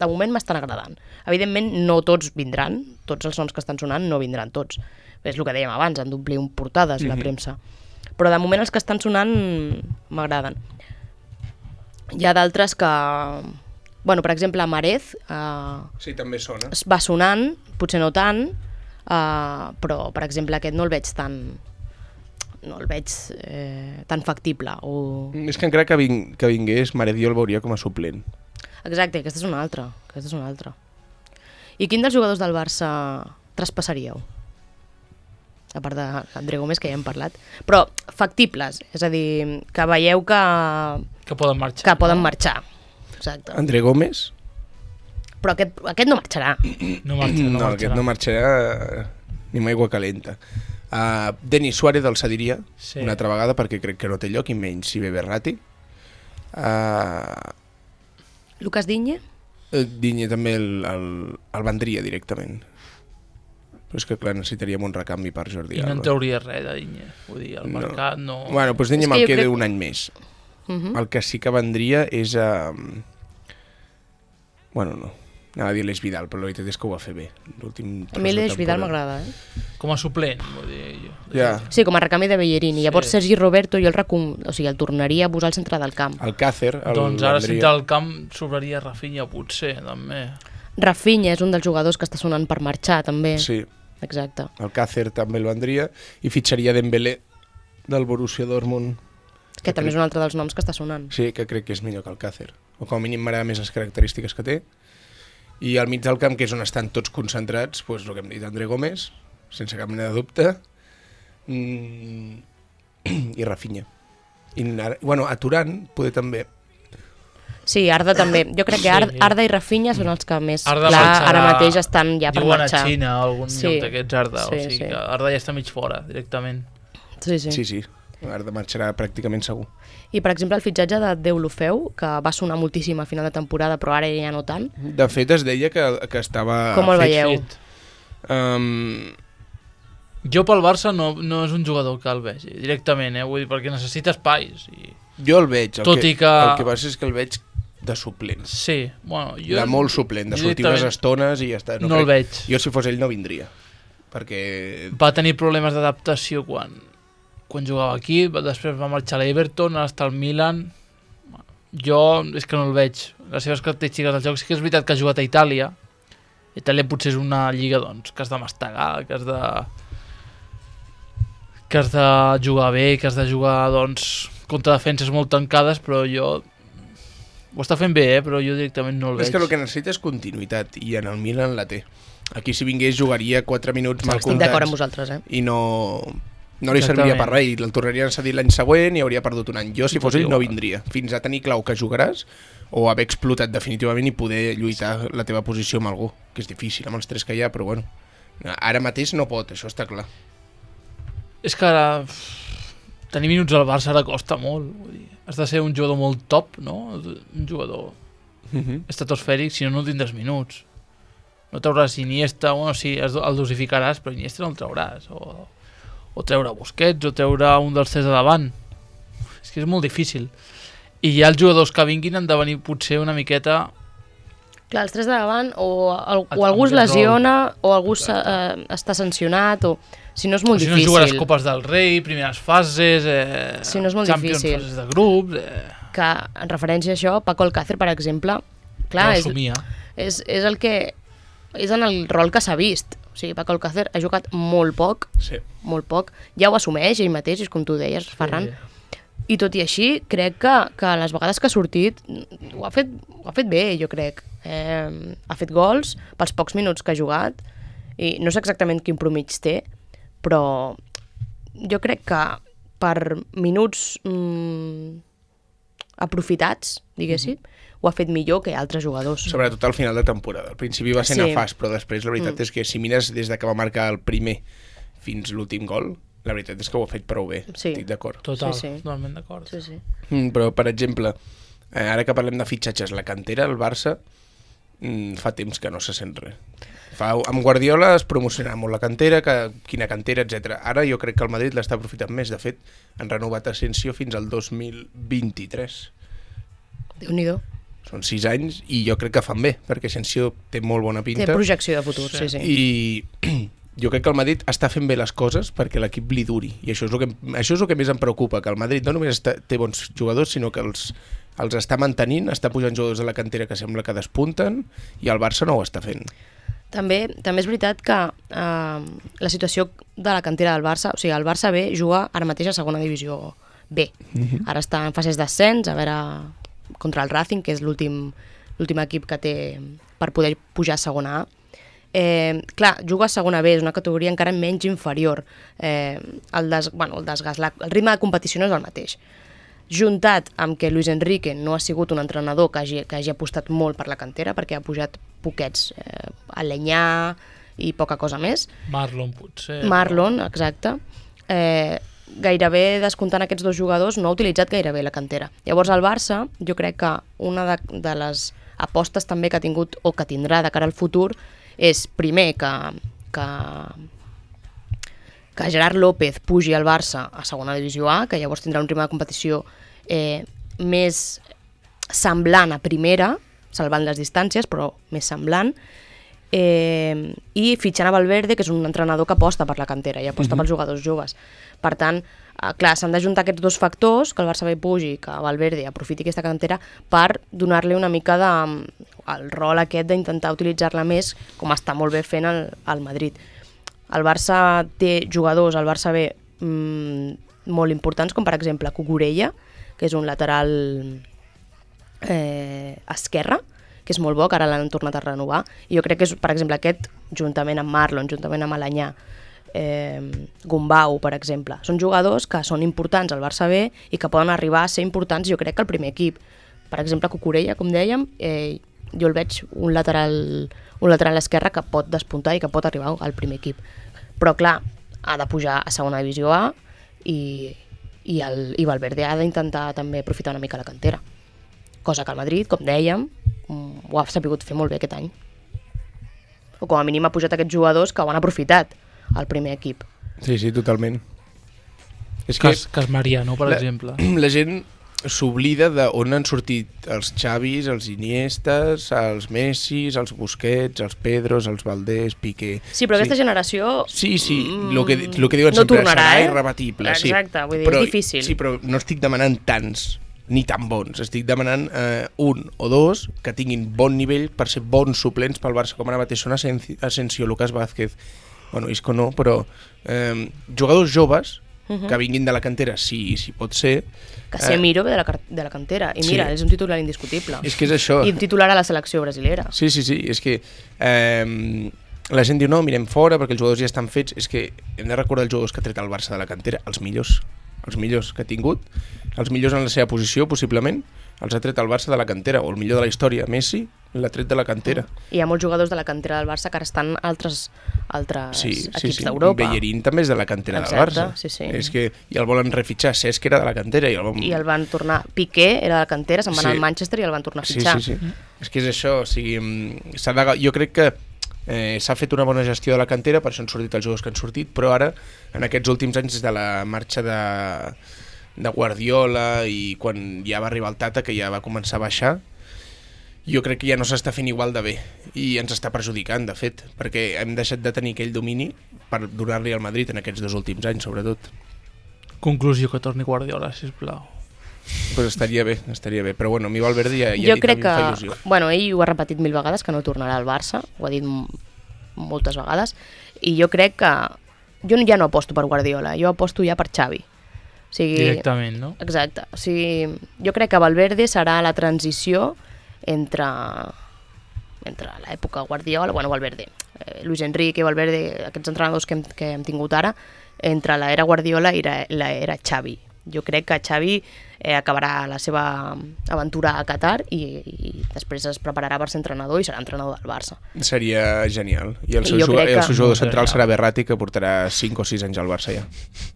Speaker 3: de moment m'estan agradant. Evidentment, no tots vindran, tots els noms que estan sonant no vindran tots. És el que dèiem abans, han d'omplir portades la premsa. Però de moment els que estan sonant m'agraden. Hi ha d'altres que... Bueno, per exemple, Marez...
Speaker 1: sí, també sona.
Speaker 3: Va sonant, potser no tant, però, per exemple, aquest no el veig tan... No el veig tan factible.
Speaker 1: És que encara que vingués, Marez jo el veuria com a suplent.
Speaker 3: Exacte, aquesta és una altra. I quin dels jugadors del Barça traspassaríeu? A part d'André Gómez, que ja hem parlat. Però factibles, és a dir, que veieu
Speaker 2: que poden marxar.
Speaker 3: Que poden marxar. Exacte.
Speaker 1: André Gómez?
Speaker 3: Però aquest no marxarà.
Speaker 2: No marxarà.
Speaker 1: Aquest no marxarà ni amb aigua calenta. Denis Suárez el cediria una altra vegada perquè crec que no té lloc, i menys si ve Verratti.
Speaker 3: Lucas Digne?
Speaker 1: Digne també el vendria directament. Però és que clar, necessitaríem un recanvi per Jordi Alba.
Speaker 2: I no en trauria res de Digne. Vull dir, el mercat no...
Speaker 1: Bueno, doncs Digne me'l queda un any més. El que sí que vendria és Bueno, no. Anava a dir l'Eix Vidal, però la veritat és que ho va fer bé.
Speaker 3: A mi l'Eix Vidal m'agrada,
Speaker 2: Com a suplent, vull dir...
Speaker 3: Sí, com a recanvi de Bellerini. Llavors Sergi Roberto jo el tornaria a posar al centre del camp.
Speaker 1: Alcácer.
Speaker 2: Doncs ara al centre del camp sobraria Rafinha, potser, també.
Speaker 3: Rafinha és un dels jugadors que està sonant per marxar, també.
Speaker 1: Sí.
Speaker 3: Exacte.
Speaker 1: Alcácer també el vendria i fitxaria Dembélé del Borussia Dortmund.
Speaker 3: Que també és un altre dels noms que està sonant.
Speaker 1: Sí, que crec que és millor que Alcácer. O com a mínim m'agrada més les característiques que té. I al mig del camp, que és on estan tots concentrats, doncs el que hem dit, André Gómez, sense cap mena de dubte, i Rafinha. Bueno, a Turan poder també.
Speaker 3: Sí, Arda també. Jo crec que Arda i Rafinha són els que més
Speaker 2: ara
Speaker 3: mateix estan ja per marxar.
Speaker 2: Diuen a Xina o algun lloc d'aquests Arda. O sigui que Arda ja està mig fora, directament.
Speaker 1: Sí. Arda marxarà pràcticament segur.
Speaker 3: I, per exemple, el fitxatge de Deulofeu, que va sonar moltíssim a final de temporada, però ara ja no tant.
Speaker 1: De fet, es deia que estava...
Speaker 3: Com el veieu?
Speaker 2: Jo pel Barça no és un jugador que el vegi, directament, vull dir, perquè necessita espais.
Speaker 1: Jo el veig. El que passa és que el veig de suplent.
Speaker 2: Sí, bueno, jo...
Speaker 1: De molt suplent, de
Speaker 2: jo
Speaker 1: sortir unes
Speaker 2: directament
Speaker 1: estones i ja està.
Speaker 2: no el veig.
Speaker 1: Jo, si fos ell, no vindria. Perquè...
Speaker 2: Va tenir problemes d'adaptació quan jugava aquí, després va marxar a l'Everton, ara està al Milan. Jo és que no el veig. Les seves característiques del joc sí que és veritat que ha jugat a Itàlia. Itàlia potser és una lliga doncs, que has de mastegar, que has de jugar bé, que has de jugar doncs, contra defenses molt tancades, però jo... Ho està fent bé, però jo directament no el veig.
Speaker 1: És que el que necessita és continuïtat, i en el Milan la té. Aquí si vingués jugaria 4 minuts mal
Speaker 3: Estic
Speaker 1: comptats.
Speaker 3: d'acord amb vosaltres,
Speaker 1: I no li serviria per res, i el tornaria a cedir l'any següent i hauria perdut un any. Jo, si fos ell, no vindria. Fins a tenir clau que jugaràs o haver explotat definitivament i poder lluitar la teva posició amb algú, que és difícil amb els 3 que hi ha, però bueno. Ara mateix no pot, això està clar.
Speaker 2: És que ara tenir minuts al Barça ara costa molt. Vull dir, has de ser un jugador molt top, no? Un jugador estratosfèric, si no, no tindràs minuts. No trauràs Iniesta, bueno, sí, el dosificaràs, però Iniesta no el trauràs. O treure Busquets, o treure un dels 3 de davant. És que és molt difícil. I ja els jugadors que vinguin han de venir potser una miqueta...
Speaker 3: Clar, els 3 de davant, o algú es lesiona, o algú està sancionat, o... Si no és molt difícil.
Speaker 2: Si no jugaràs Copes del Rei, primeres fases,
Speaker 3: si no és molt
Speaker 2: Champions,
Speaker 3: difícil.
Speaker 2: fases de grups...
Speaker 3: Que, en referència a això, Paco Alcácer, per exemple, clar, és el que... És en el rol que s'ha vist. O sigui, Paco Alcácer ha jugat molt poc, molt poc. Ja ho assumeix ell mateix, és com tu deies, Ferran. I tot i així, crec que les vegades que ha sortit ho ha fet bé, jo crec. Ha fet gols pels pocs minuts que ha jugat, i no sé exactament quin promig té, però jo crec que per minuts aprofitats, diguéssim, ho ha fet millor que altres jugadors.
Speaker 1: Sobretot al final de temporada. Al principi va ser nefast, però després la veritat és que si mires des de que va marcar el primer fins l'últim gol, la veritat és que ho ha fet prou bé. Estic d'acord.
Speaker 2: Totalment d'acord.
Speaker 3: Sí.
Speaker 1: Però, per exemple, ara que parlem de fitxatges, la cantera, el Barça, fa temps que no se sent res. Amb Guardiola es promocionava molt la cantera, quina cantera, etc. Ara jo crec que el Madrid l'està aprofitant més. De fet, han renovat Asensio fins al 2023.
Speaker 3: Déu-n'hi-do.
Speaker 1: Són 6 anys i jo crec que fan bé, perquè Asensio té molt bona pinta.
Speaker 3: Té projecció de futur, sí.
Speaker 1: I jo crec que el Madrid està fent bé les coses perquè l'equip li duri. I això és el que més em preocupa, que el Madrid no només té bons jugadors, sinó que els està mantenint, està pujant jugadors de la cantera que sembla que despunten, i el Barça no ho està fent.
Speaker 3: També és veritat que la situació de la cantera del Barça, o sigui, el Barça B juga ara mateix a segona divisió B. Ara està en fases d'ascens, a veure, contra el Racing, que és l'últim equip que té per poder pujar a segona A. Clar, juga a segona B, és una categoria encara menys inferior. El ritme de competició no és el mateix. Juntat amb que Luis Enrique no ha sigut un entrenador que hagi apostat molt per la cantera, perquè ha pujat poquets, Alenyà i poca cosa més.
Speaker 2: Marlon, potser.
Speaker 3: Marlon, exacte. Gairebé descomptant aquests dos jugadors no ha utilitzat gairebé la cantera. Llavors el Barça, jo crec que una de les apostes també que ha tingut o que tindrà de cara al futur és primer que Gerard López pugi al Barça a segona divisió A, que llavors tindrà un ritme de competició més semblant a primera, salvant les distàncies, però més semblant, i fitxant a Valverde, que és un entrenador que aposta per la cantera i aposta pels jugadors joves. Per tant, clar, s'han d'ajuntar aquests dos factors, que el Barça B pugi, que Valverde aprofiti aquesta cantera per donar-li una mica el rol aquest d'intentar utilitzar-la més, com està molt bé fent el Madrid. El Barça té jugadors al Barça B molt importants, com per exemple Cucurella, que és un lateral esquerre, que és molt bo, que ara l'han tornat a renovar. I jo crec que és, per exemple, aquest, juntament amb Marlon, juntament amb Alenyà, Gumbau, per exemple, són jugadors que són importants al Barça B i que poden arribar a ser importants, jo crec, que al primer equip. Per exemple, Cucurella, com dèiem, jo el veig un lateral esquerre que pot despuntar i que pot arribar al primer equip. Però, clar, ha de pujar a segona divisió A i Valverde ha d'intentar també aprofitar una mica la cantera. Cosa que el Madrid, com dèiem, ho ha sabut fer molt bé aquest any. O com a mínim ha pujat aquests jugadors que ho han aprofitat al primer equip.
Speaker 1: Sí, totalment. És
Speaker 2: Cas Mariano, per exemple.
Speaker 1: La gent s'oblida d'on han sortit els Xavis, els Iniestes, els Messis, els Busquets, els Pedros, els Valdés, Piqué...
Speaker 3: Sí, però aquesta generació...
Speaker 1: Sí, lo que diuen
Speaker 3: no
Speaker 1: sempre,
Speaker 3: tornarà,
Speaker 1: serà
Speaker 3: eh?
Speaker 1: irrebatible.
Speaker 3: Exacte, vull dir,
Speaker 1: però,
Speaker 3: és difícil.
Speaker 1: Sí, però no estic demanant tants, ni tan bons. Estic demanant un o dos que tinguin bon nivell per ser bons suplents pel Barça, com ara mateix són Asensio, Lucas Vázquez, bueno, Isco no, però jugadors joves que vinguin de la cantera, sí pot ser.
Speaker 3: Casemiro ve de la cantera, i mira,
Speaker 1: Sí.
Speaker 3: és un titular indiscutible.
Speaker 1: És que és això.
Speaker 3: I un titular a la selecció brasilera.
Speaker 1: Sí, és que la gent diu, no, mirem fora perquè els jugadors ja estan fets. És que hem de recordar els jugadors que ha tret el Barça de la cantera, els millors que ha tingut, els millors en la seva posició, possiblement, els ha tret el Barça de la cantera, o el millor de la història, Messi, l'ha tret de la cantera.
Speaker 3: I hi ha molts jugadors de la cantera del Barça que ara estan altres equips d'Europa.
Speaker 1: Bellerín també és de la cantera del
Speaker 3: Exacte,
Speaker 1: Barça.
Speaker 3: sí.
Speaker 1: És que i el volen refitxar, Cesc era de la cantera.
Speaker 3: I el van tornar... Piqué era de la cantera, se'n va anar al Manchester i el van tornar a fitxar.
Speaker 1: Sí. És que és això, o sigui, jo crec que s'ha fet una bona gestió de la cantera, per això han sortit els jugadors que han sortit, però ara, en aquests últims anys, des de la marxa de Guardiola i quan ja va arribar el Tata, que ja va començar a baixar, jo crec que ja no s'està fent igual de bé i ens està perjudicant, de fet, perquè hem deixat de tenir aquell domini per donar-li al Madrid en aquests 2 últims anys, sobretot.
Speaker 2: Conclusió, que torni Guardiola, sisplau.
Speaker 1: Pues estaria bé, però bueno, a mi Valverde ja
Speaker 3: Jo crec
Speaker 1: em fa
Speaker 3: que,
Speaker 1: il·lusió.
Speaker 3: bueno, ell ho ha repetit 1000 vegades, que no tornarà al Barça, ho ha dit moltes vegades, i jo crec que jo ja no aposto per Guardiola, jo aposto ja per Xavi. O sigui,
Speaker 2: Directament, no?
Speaker 3: Exacte. O sigui, jo crec que Valverde serà la transició entre l'època Guardiola, bueno, Valverde, Luis Enrique, Valverde, aquests entrenadors que hem tingut ara, entre l'era Guardiola i l'era Xavi. Jo crec que Xavi acabarà la seva aventura a Qatar i després es prepararà per ser entrenador i serà entrenador del Barça.
Speaker 1: Seria genial. I el
Speaker 3: I
Speaker 1: seu,
Speaker 3: jo crec
Speaker 1: el seu jugador
Speaker 2: que-
Speaker 1: central serà Berratti, que portarà 5 o 6 anys al Barça ja.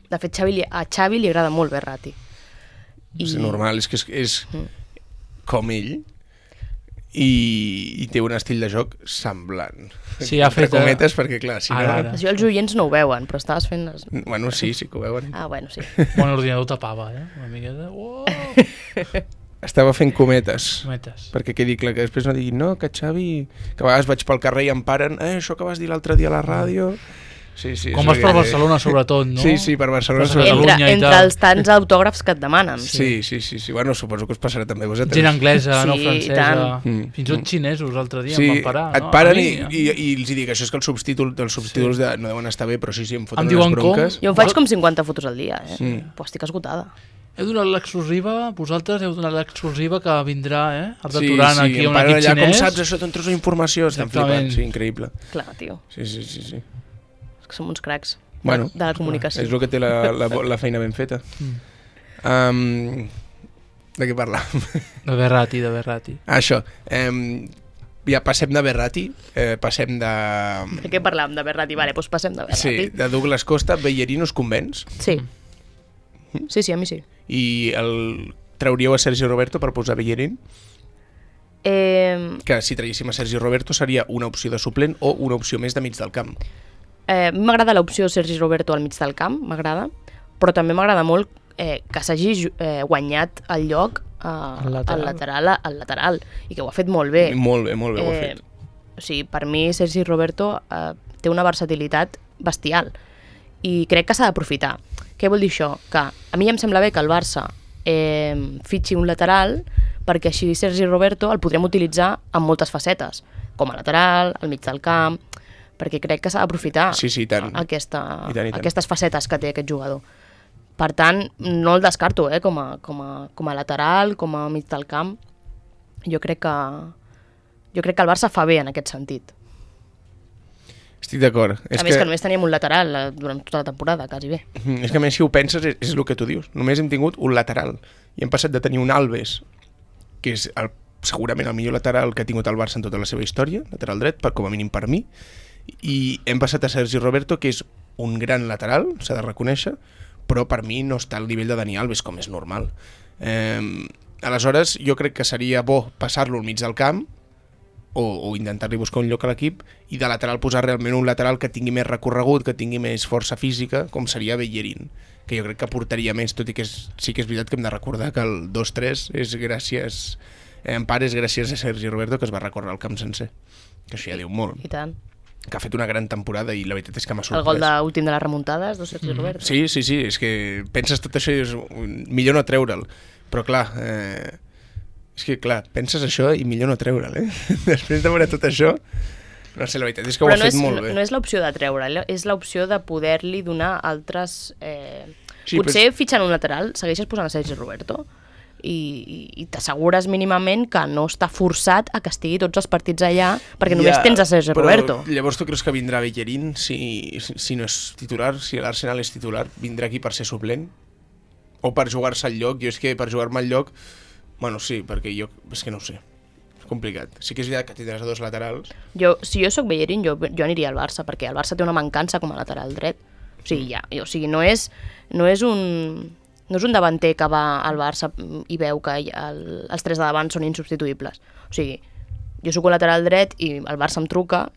Speaker 3: De fet, a Xavi li agrada molt Berratti.
Speaker 1: És normal, és que és com ell i té un estil de joc semblant.
Speaker 2: Sí, ha fet...
Speaker 1: Entre cometes, perquè clar, si
Speaker 2: Ara.
Speaker 1: no...
Speaker 3: Això els oients no ho veuen, però estaves fent...
Speaker 1: Bueno, sí que ho veuen.
Speaker 3: Ah, bueno, sí.
Speaker 2: Bon, l'ordinador tapava, una miqueta. Uau!
Speaker 1: Estava fent cometes.
Speaker 2: Metes.
Speaker 1: Perquè quedi clar, que després no diguin no, que Xavi... Que a vegades vaig pel carrer i em paren això que vas dir l'altre dia a la ràdio... Sí,
Speaker 2: Com vas per Barcelona, sobretot, no?
Speaker 1: Sí, per Barcelona.
Speaker 2: Per
Speaker 1: sobretot.
Speaker 2: Catalunya i
Speaker 3: Entre
Speaker 2: tal.
Speaker 3: els tants autògrafs que et demanen.
Speaker 1: Sí. Bueno, suposo que us passarà també a vosaltres.
Speaker 2: Gent anglesa,
Speaker 3: Sí,
Speaker 2: no
Speaker 3: i
Speaker 2: francesa,
Speaker 3: tant.
Speaker 2: fins i tot xinesos l'altre dia
Speaker 1: Sí,
Speaker 2: em van parar.
Speaker 1: et
Speaker 2: no?
Speaker 1: paren
Speaker 2: A mi,
Speaker 1: i els hi dic, això és que els subtítols no deuen estar bé, però sí, em foten
Speaker 2: Em
Speaker 1: unes
Speaker 2: diuen com?
Speaker 1: bronques.
Speaker 3: Jo em faig com 50 fotos al dia, Però estic esgotada.
Speaker 2: Heu donat l'exclusiva, vosaltres heu donat l'exclusiva que vindrà, Arda aquí
Speaker 1: em
Speaker 2: un
Speaker 1: paren
Speaker 2: equip
Speaker 1: allà, com
Speaker 2: xinès.
Speaker 1: saps això, t'entres la informació, estan
Speaker 2: Exactament.
Speaker 1: flipant, sí, increïble.
Speaker 3: Clar, tio,
Speaker 1: Sí.
Speaker 3: és que som uns cracs
Speaker 1: Bueno,
Speaker 3: de la comunicació.
Speaker 1: és el que té la feina ben feta. De què parlàvem?
Speaker 2: De Berratti.
Speaker 1: Això, ja passem de Berratti, passem de...
Speaker 3: De què parlàvem? De Berratti? Vale, doncs passem de
Speaker 1: Sí,
Speaker 3: Berratti.
Speaker 1: de Douglas Costa. Bellerín us convenç?
Speaker 3: Sí. Sí, a mi sí.
Speaker 1: I trauríeu a Sergi Roberto per posar Bellerín? Que si traguéssim a Sergi Roberto seria una opció de suplent o una opció més de mig del camp.
Speaker 3: A mi m'agrada l'opció Sergi Roberto al mig del camp, m'agrada, però també m'agrada molt que s'hagi guanyat el lloc al lateral, i que ho ha fet molt bé.
Speaker 1: Molt bé ho ha fet.
Speaker 3: O sigui, per mi Sergi Roberto té una versatilitat bestial i crec que s'ha d'aprofitar. Què vol dir això? Que a mi em sembla bé que el Barça fitxi un lateral perquè així Sergi Roberto el podrem utilitzar en moltes facetes, com a lateral, al mig del camp, perquè crec que s'ha d'aprofitar
Speaker 1: Sí, i tant.
Speaker 3: aquestes facetes que té aquest jugador. Per tant, no el descarto com a lateral, com a mig del camp. Jo crec que el Barça fa bé en aquest sentit.
Speaker 1: Estic d'acord.
Speaker 3: A més que només teníem un lateral durant tota la temporada, quasi bé.
Speaker 1: És que a més, si ho penses, és el que tu dius. Només hem tingut un lateral. I hem passat de tenir un Alves, que és segurament el millor lateral que ha tingut el Barça en tota la seva història, lateral dret, com a mínim per mi, i hem passat a Sergi Roberto, que és un gran lateral, s'ha de reconèixer, però per mi no està al nivell de Dani Alves, com és normal. Aleshores, jo crec que seria bo passar-lo al mig del camp, o intentar-li buscar un lloc a l'equip, i de lateral posar realment un lateral que tingui més recorregut, que tingui més força física, com seria Bellerín, que jo crec que aportaria més, tot i que sí que és veritat que hem de recordar que el 2-3 és gràcies, en part és gràcies a Sergi Roberto, que es va recórrer el camp sencer, que això ja diu molt,
Speaker 3: I tant.
Speaker 1: que ha fet una gran temporada i la veritat és que m'ha
Speaker 3: El gol
Speaker 1: sorprès.
Speaker 3: últim de les remuntades de Sergi Roberto.
Speaker 1: Sí, és que penses tot això i és millor no treure'l, però clar, és que clar, penses això i millor no treure'l, Després de veure tot això, no sé, la veritat és que ho ha fet molt bé.
Speaker 3: No és l'opció de treure'l, és l'opció de poder-li donar altres...
Speaker 1: Sí,
Speaker 3: potser fitxant un lateral segueixes posant a Sergi Roberto i t'assegures mínimament que no està forçat a que estigui tots els partits allà perquè només tens a Sergi Roberto.
Speaker 1: Però llavors tu creus que vindrà Bellerín si no és titular, si l'Arsenal és titular, vindrà aquí per ser suplent? O per jugar-se al lloc? Jo és que per jugar-me al lloc, bueno, sí, perquè jo és que no ho sé. És complicat. Sí que és veritat que tindràs a dos laterals.
Speaker 3: Si jo sóc Bellerín, jo aniria al Barça, perquè el Barça té una mancança com a lateral dret. O sigui, no és un davanter que va al Barça i veu que els tres de davant són insubstituïbles. O sigui, jo sóc un lateral dret i el Barça em truca,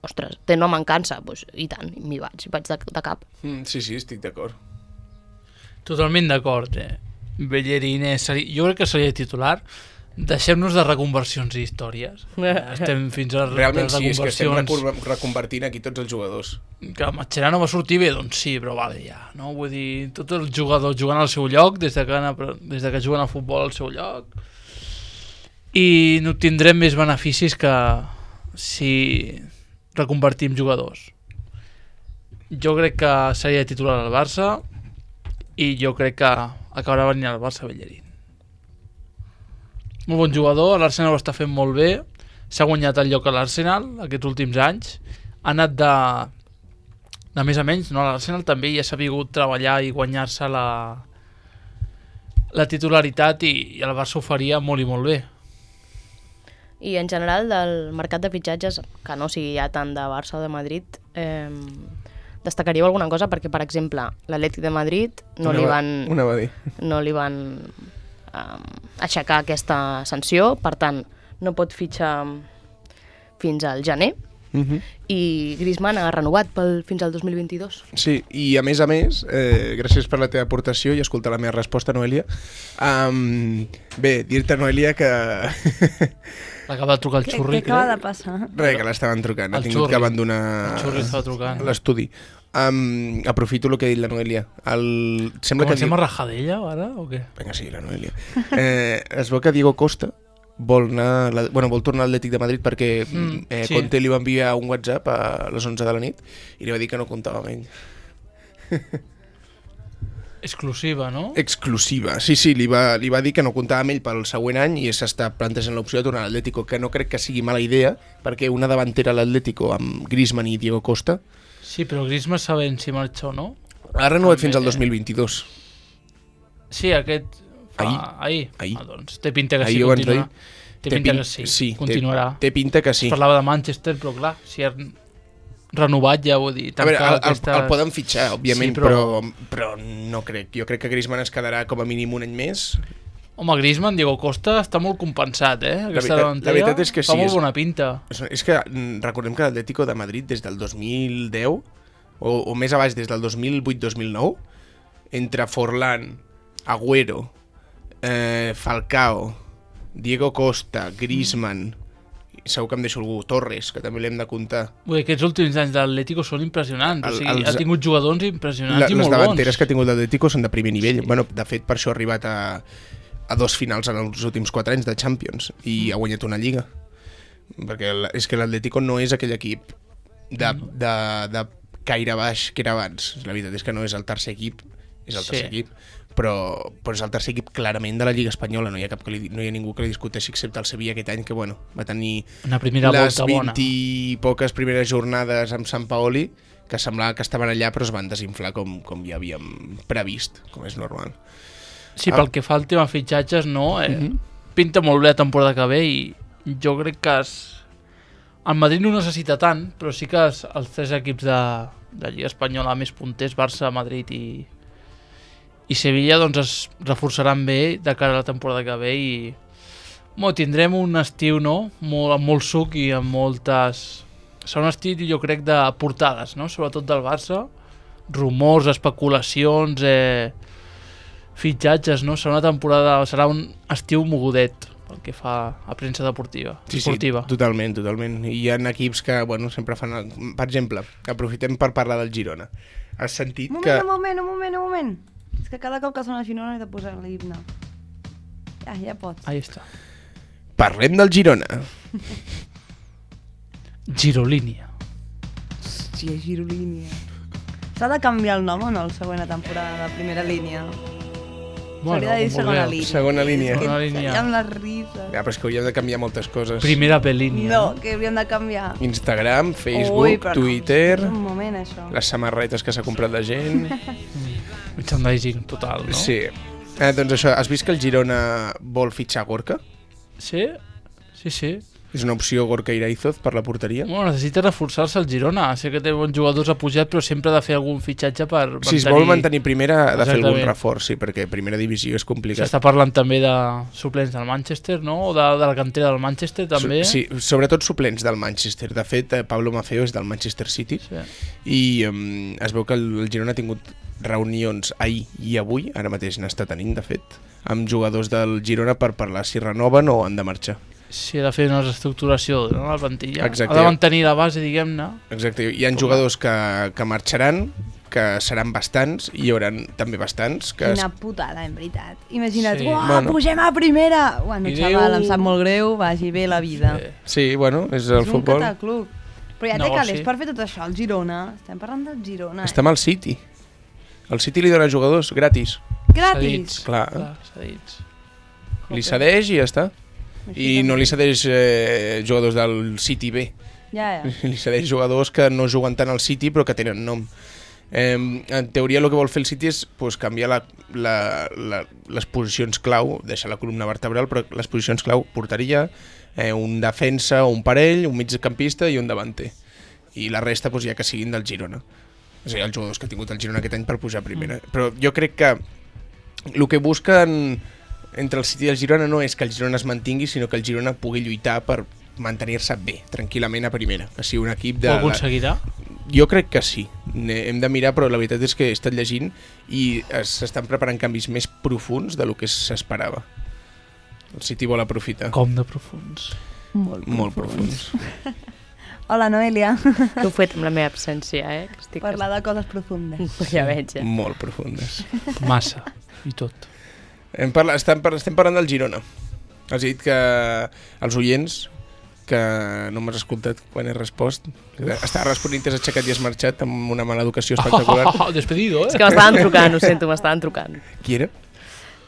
Speaker 3: ostres, té una mancança, doncs, i tant, m'hi vaig de cap.
Speaker 1: Sí, estic d'acord.
Speaker 2: Totalment d'acord, Bellerín jo crec que seria titular. Deixem-nos de reconversions i històries. Estem fins a
Speaker 1: Realment sí, és que estem
Speaker 2: reconversions.
Speaker 1: reconvertint aquí tots els jugadors.
Speaker 2: Que Mascherano va sortir bé, doncs sí, però vale, ja, no? Vull dir, tots els jugadors jugant al seu lloc, des de que juguen a futbol al seu lloc, i n'obtindrem més beneficis que si reconvertim jugadors. Jo crec que seria titular al Barça i jo crec que acabarà venint al Barça Bellerín. Molt bon jugador, l'Arsenal ho està fent molt bé, s'ha guanyat el lloc a l'Arsenal aquests últims anys, ha anat de més a menys, no? L'Arsenal també ja s'ha sabut treballar i guanyar-se la titularitat i el Barça ho faria molt i molt bé.
Speaker 3: I en general del mercat de fitxatges, que no sigui ja tant de Barça o de Madrid, destacaríeu alguna cosa? Perquè, per exemple, l'Atlètic de Madrid no li van aixecar aquesta sanció, per tant, no pot fitxar fins al gener, i Griezmann ha renovat fins al 2022.
Speaker 1: Sí, i a més, gràcies per la teva aportació i escoltar la meva resposta, Noelia. Bé, dir-te, Noelia, que...
Speaker 2: L'acaba de trucar el Xurri.
Speaker 4: Què acaba de passar?
Speaker 1: Res, que l'estaven trucant, ha tingut que abandonar l'estudi. Aprofito el que ha dit la Noelia.
Speaker 2: Comencem a rajar d'ella, ara, o què?
Speaker 1: Vinga, sí, la Noelia. Es veu que Diego Costa vol tornar al Atlètic de Madrid perquè
Speaker 2: sí.
Speaker 1: Conte li va enviar un WhatsApp a les 11 de la nit i li va dir que no comptava amb ell.
Speaker 2: Exclusiva, no?
Speaker 1: Exclusiva, sí, li va dir que no comptava amb ell pel següent any i s'està plantejant l'opció de tornar a l'Atlético, que no crec que sigui mala idea, perquè una davantera a l'Atlético amb Griezmann i Diego Costa...
Speaker 2: Sí, però Griezmann sabem si marxa o no.
Speaker 1: Ha renovat fins al 2022.
Speaker 2: Sí, aquest... Ahir. Doncs té pinta que sí, continuarà. Té pinta que sí, continuarà.
Speaker 1: Té pinta que sí.
Speaker 2: Es parlava de Manchester, però clar, si ha renovat ja vull dir...
Speaker 1: A veure, el poden fitxar, òbviament, sí, però no crec. Jo crec que Griezmann es quedarà com a mínim un any més.
Speaker 2: Home, Griezmann, Diego Costa està molt compensat, Aquesta davantera
Speaker 1: la veritat és que
Speaker 2: fa molt bona pinta.
Speaker 1: És que recordem que l'Atlético de Madrid des del 2010, o més abans, des del 2008-2009, entre Forlán, Agüero, Falcao, Diego Costa, Griezmann, segur que em deixo algú, Torres, que també l'hem de comptar.
Speaker 2: Aquests últims anys de l'Atlético són impressionants, ha tingut jugadors impressionants i molt bons.
Speaker 1: Les davanteres que ha tingut l'Atlético són de primer nivell. Sí. Bueno, de fet, per això ha arribat a 2 finals en els últims 4 anys de Champions i ha guanyat una lliga. Perquè és que l'Atlético no és aquell equip de caire baix que era abans. La veritat és que no és el tercer equip, és el tercer equip. Però és el tercer equip clarament de la Lliga Espanyola, no hi ha ningú que li discuteixi excepte el Sevilla aquest any, que va tenir les 20 i poques primeres jornades amb Sant Paoli, que semblava que estaven allà però es van desinflar com ja havíem previst, com és normal.
Speaker 2: Sí, pel que fa al tema fitxatges, no? Pinta molt bé la temporada que ve i jo crec que el Madrid no necessita tant, però sí que els 3 equips de Lliga Espanyola més punters, Barça, Madrid i Sevilla, doncs es reforçaran bé de cara a la temporada que ve i tindrem un estiu, no? Amb molt suc i amb moltes... Serà un estiu, jo crec, de portades, no? Sobretot del Barça, rumors, especulacions, fitxatges, no? Serà un estiu mogudet pel que fa a premsa deportiva.
Speaker 1: Sí, totalment. I hi ha equips que, bueno, sempre fan... Per exemple, aprofitem per parlar del Girona. Has sentit que...
Speaker 4: Un moment. És que cada cop que sona així no he de posar l'himne. Ja pots.
Speaker 2: Ahí està.
Speaker 1: Parlem del Girona.
Speaker 2: Girolínia.
Speaker 4: Hòstia, Girolínia. S'ha de canviar el nom o no, la següent temporada de primera línia? S'hauria de dir segona línia.
Speaker 1: Segona línia.
Speaker 2: Segona línia.
Speaker 4: Amb les risses.
Speaker 1: Ja, però és que hauríem de canviar moltes coses.
Speaker 2: Primera B-línia.
Speaker 4: No, que hauríem de canviar.
Speaker 1: Instagram, Facebook, Twitter...
Speaker 4: Un moment, això.
Speaker 1: Les samarretes que s'ha comprat la gent...
Speaker 2: Merchandising total, no?
Speaker 1: Sí. Doncs això, has vist que el Girona vol fitxar Gorka?
Speaker 2: Sí.
Speaker 1: És una opció Gorka Iraizoz per la porteria?
Speaker 2: Bueno, necessita reforçar-se el Girona. Sé que té bons jugadors a pujat, però sempre ha de fer algun fitxatge per mantenir...
Speaker 1: Si es vol mantenir primera, ha de fer algun reforç, sí, perquè primera divisió és complicat.
Speaker 2: S'està parlant també de suplents del Manchester, no? O de la cantera del Manchester, també.
Speaker 1: Sí, sobretot suplents del Manchester. De fet, Pablo Maffeo és del Manchester City, sí. I es veu que el Girona ha tingut reunions ahir i avui, ara mateix n'està tenint, de fet, amb jugadors del Girona per parlar si renoven o han de marxar.
Speaker 2: Sí, ha de fer una reestructuració, no?, la plantilla.
Speaker 1: Exacte.
Speaker 2: Ha de mantenir la base, diguem-ne.
Speaker 1: Exacte. Hi ha jugadors que marxaran, que seran bastants, i hi haurà també bastants que...
Speaker 4: Quina putada, en veritat. Imagina't,
Speaker 2: Sí.
Speaker 4: Pugem a primera! Bueno,
Speaker 2: I
Speaker 4: xaval, em sap molt greu, vagi bé la vida.
Speaker 1: Sí, bueno, és el futbol.
Speaker 4: És un cataclub. Però ja té calés per fer tot això, el Girona. Estem parlant del Girona.
Speaker 1: Està amb el City. El City li dona jugadors gratis.
Speaker 4: Gratis?
Speaker 1: Clar.
Speaker 2: Cedits.
Speaker 1: Li cedeix i ja està. I no li cedeix jugadors del City B.
Speaker 4: Ja.
Speaker 1: Li cedeix jugadors que no juguen tant al City però que tenen nom. En teoria el que vol fer el City és canviar les posicions clau, deixar la columna vertebral, però les posicions clau, porteria, un defensa o un parell, un migcampista i un davanter. I la resta ja que siguin del Girona. És a dir, els jugadors que ha tingut el Girona aquest any per pujar a primera. Però jo crec que el que busquen entre el City i el Girona no és que el Girona es mantingui, sinó que el Girona pugui lluitar per mantenir-se bé, tranquil·lament a primera. Que sigui un equip de...
Speaker 2: Ho aconseguirà?
Speaker 1: Jo crec que sí. Hem de mirar, però la veritat és que he estat llegint i s'estan preparant canvis més profuns de lo que s'esperava. El City vol aprofitar.
Speaker 2: Com de profuns?
Speaker 1: Molt profuns.
Speaker 4: Hola, Noelia.
Speaker 3: Que ho he fet amb la meva absència, Estic...
Speaker 4: Parlar de coses profundes.
Speaker 3: Ja veig,
Speaker 1: Molt profundes.
Speaker 2: Massa. I tot.
Speaker 1: Estem parlant del Girona. Has dit que els oients, que no m'has escoltat quan he respost, estava responent, t'has aixecat i has marxat amb una mala educació espectacular.
Speaker 2: Despedido,
Speaker 3: És que m'estaven trucant, ho sento, m'estaven trucant.
Speaker 1: Qui era?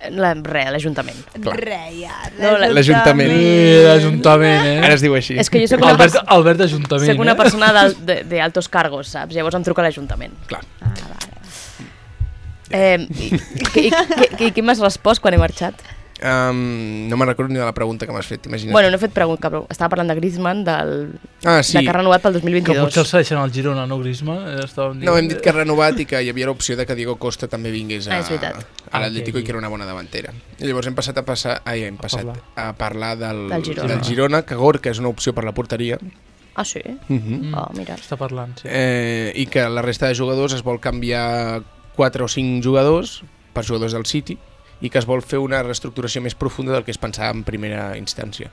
Speaker 3: L'Ajuntament.
Speaker 1: L'Ajuntament.
Speaker 2: L'Ajuntament,
Speaker 1: Ara es diu així.
Speaker 3: És que jo soc
Speaker 2: Albert Ajuntament.
Speaker 3: Soc una persona de altos cargos, saps? Llavors em truca l'Ajuntament.
Speaker 1: Clar.
Speaker 3: I què m'has respost quan he marxat?
Speaker 1: No me'n recordo ni de la pregunta que m'has fet, imagina't.
Speaker 3: Bueno, no he fet pregunta, però estava parlant de Griezmann,
Speaker 1: sí.
Speaker 3: de que ha renovat pel
Speaker 2: Que
Speaker 3: 2022.
Speaker 2: potser el cedeixen al Girona, no, Griezmann?
Speaker 1: No, hem dit que ha renovat i que hi havia l'opció de que Diego Costa també vingués a
Speaker 3: és veritat.
Speaker 1: l'Atlético i que era una bona davantera. I llavors hem passat a parlar del Girona, que Gorka és una opció per la porteria.
Speaker 3: Ah, sí? Mira.
Speaker 2: Està parlant, sí.
Speaker 1: I que la resta de jugadors es vol canviar 4 o 5 jugadors per jugadors del City i que es vol fer una reestructuració més profunda del que es pensava en primera instància.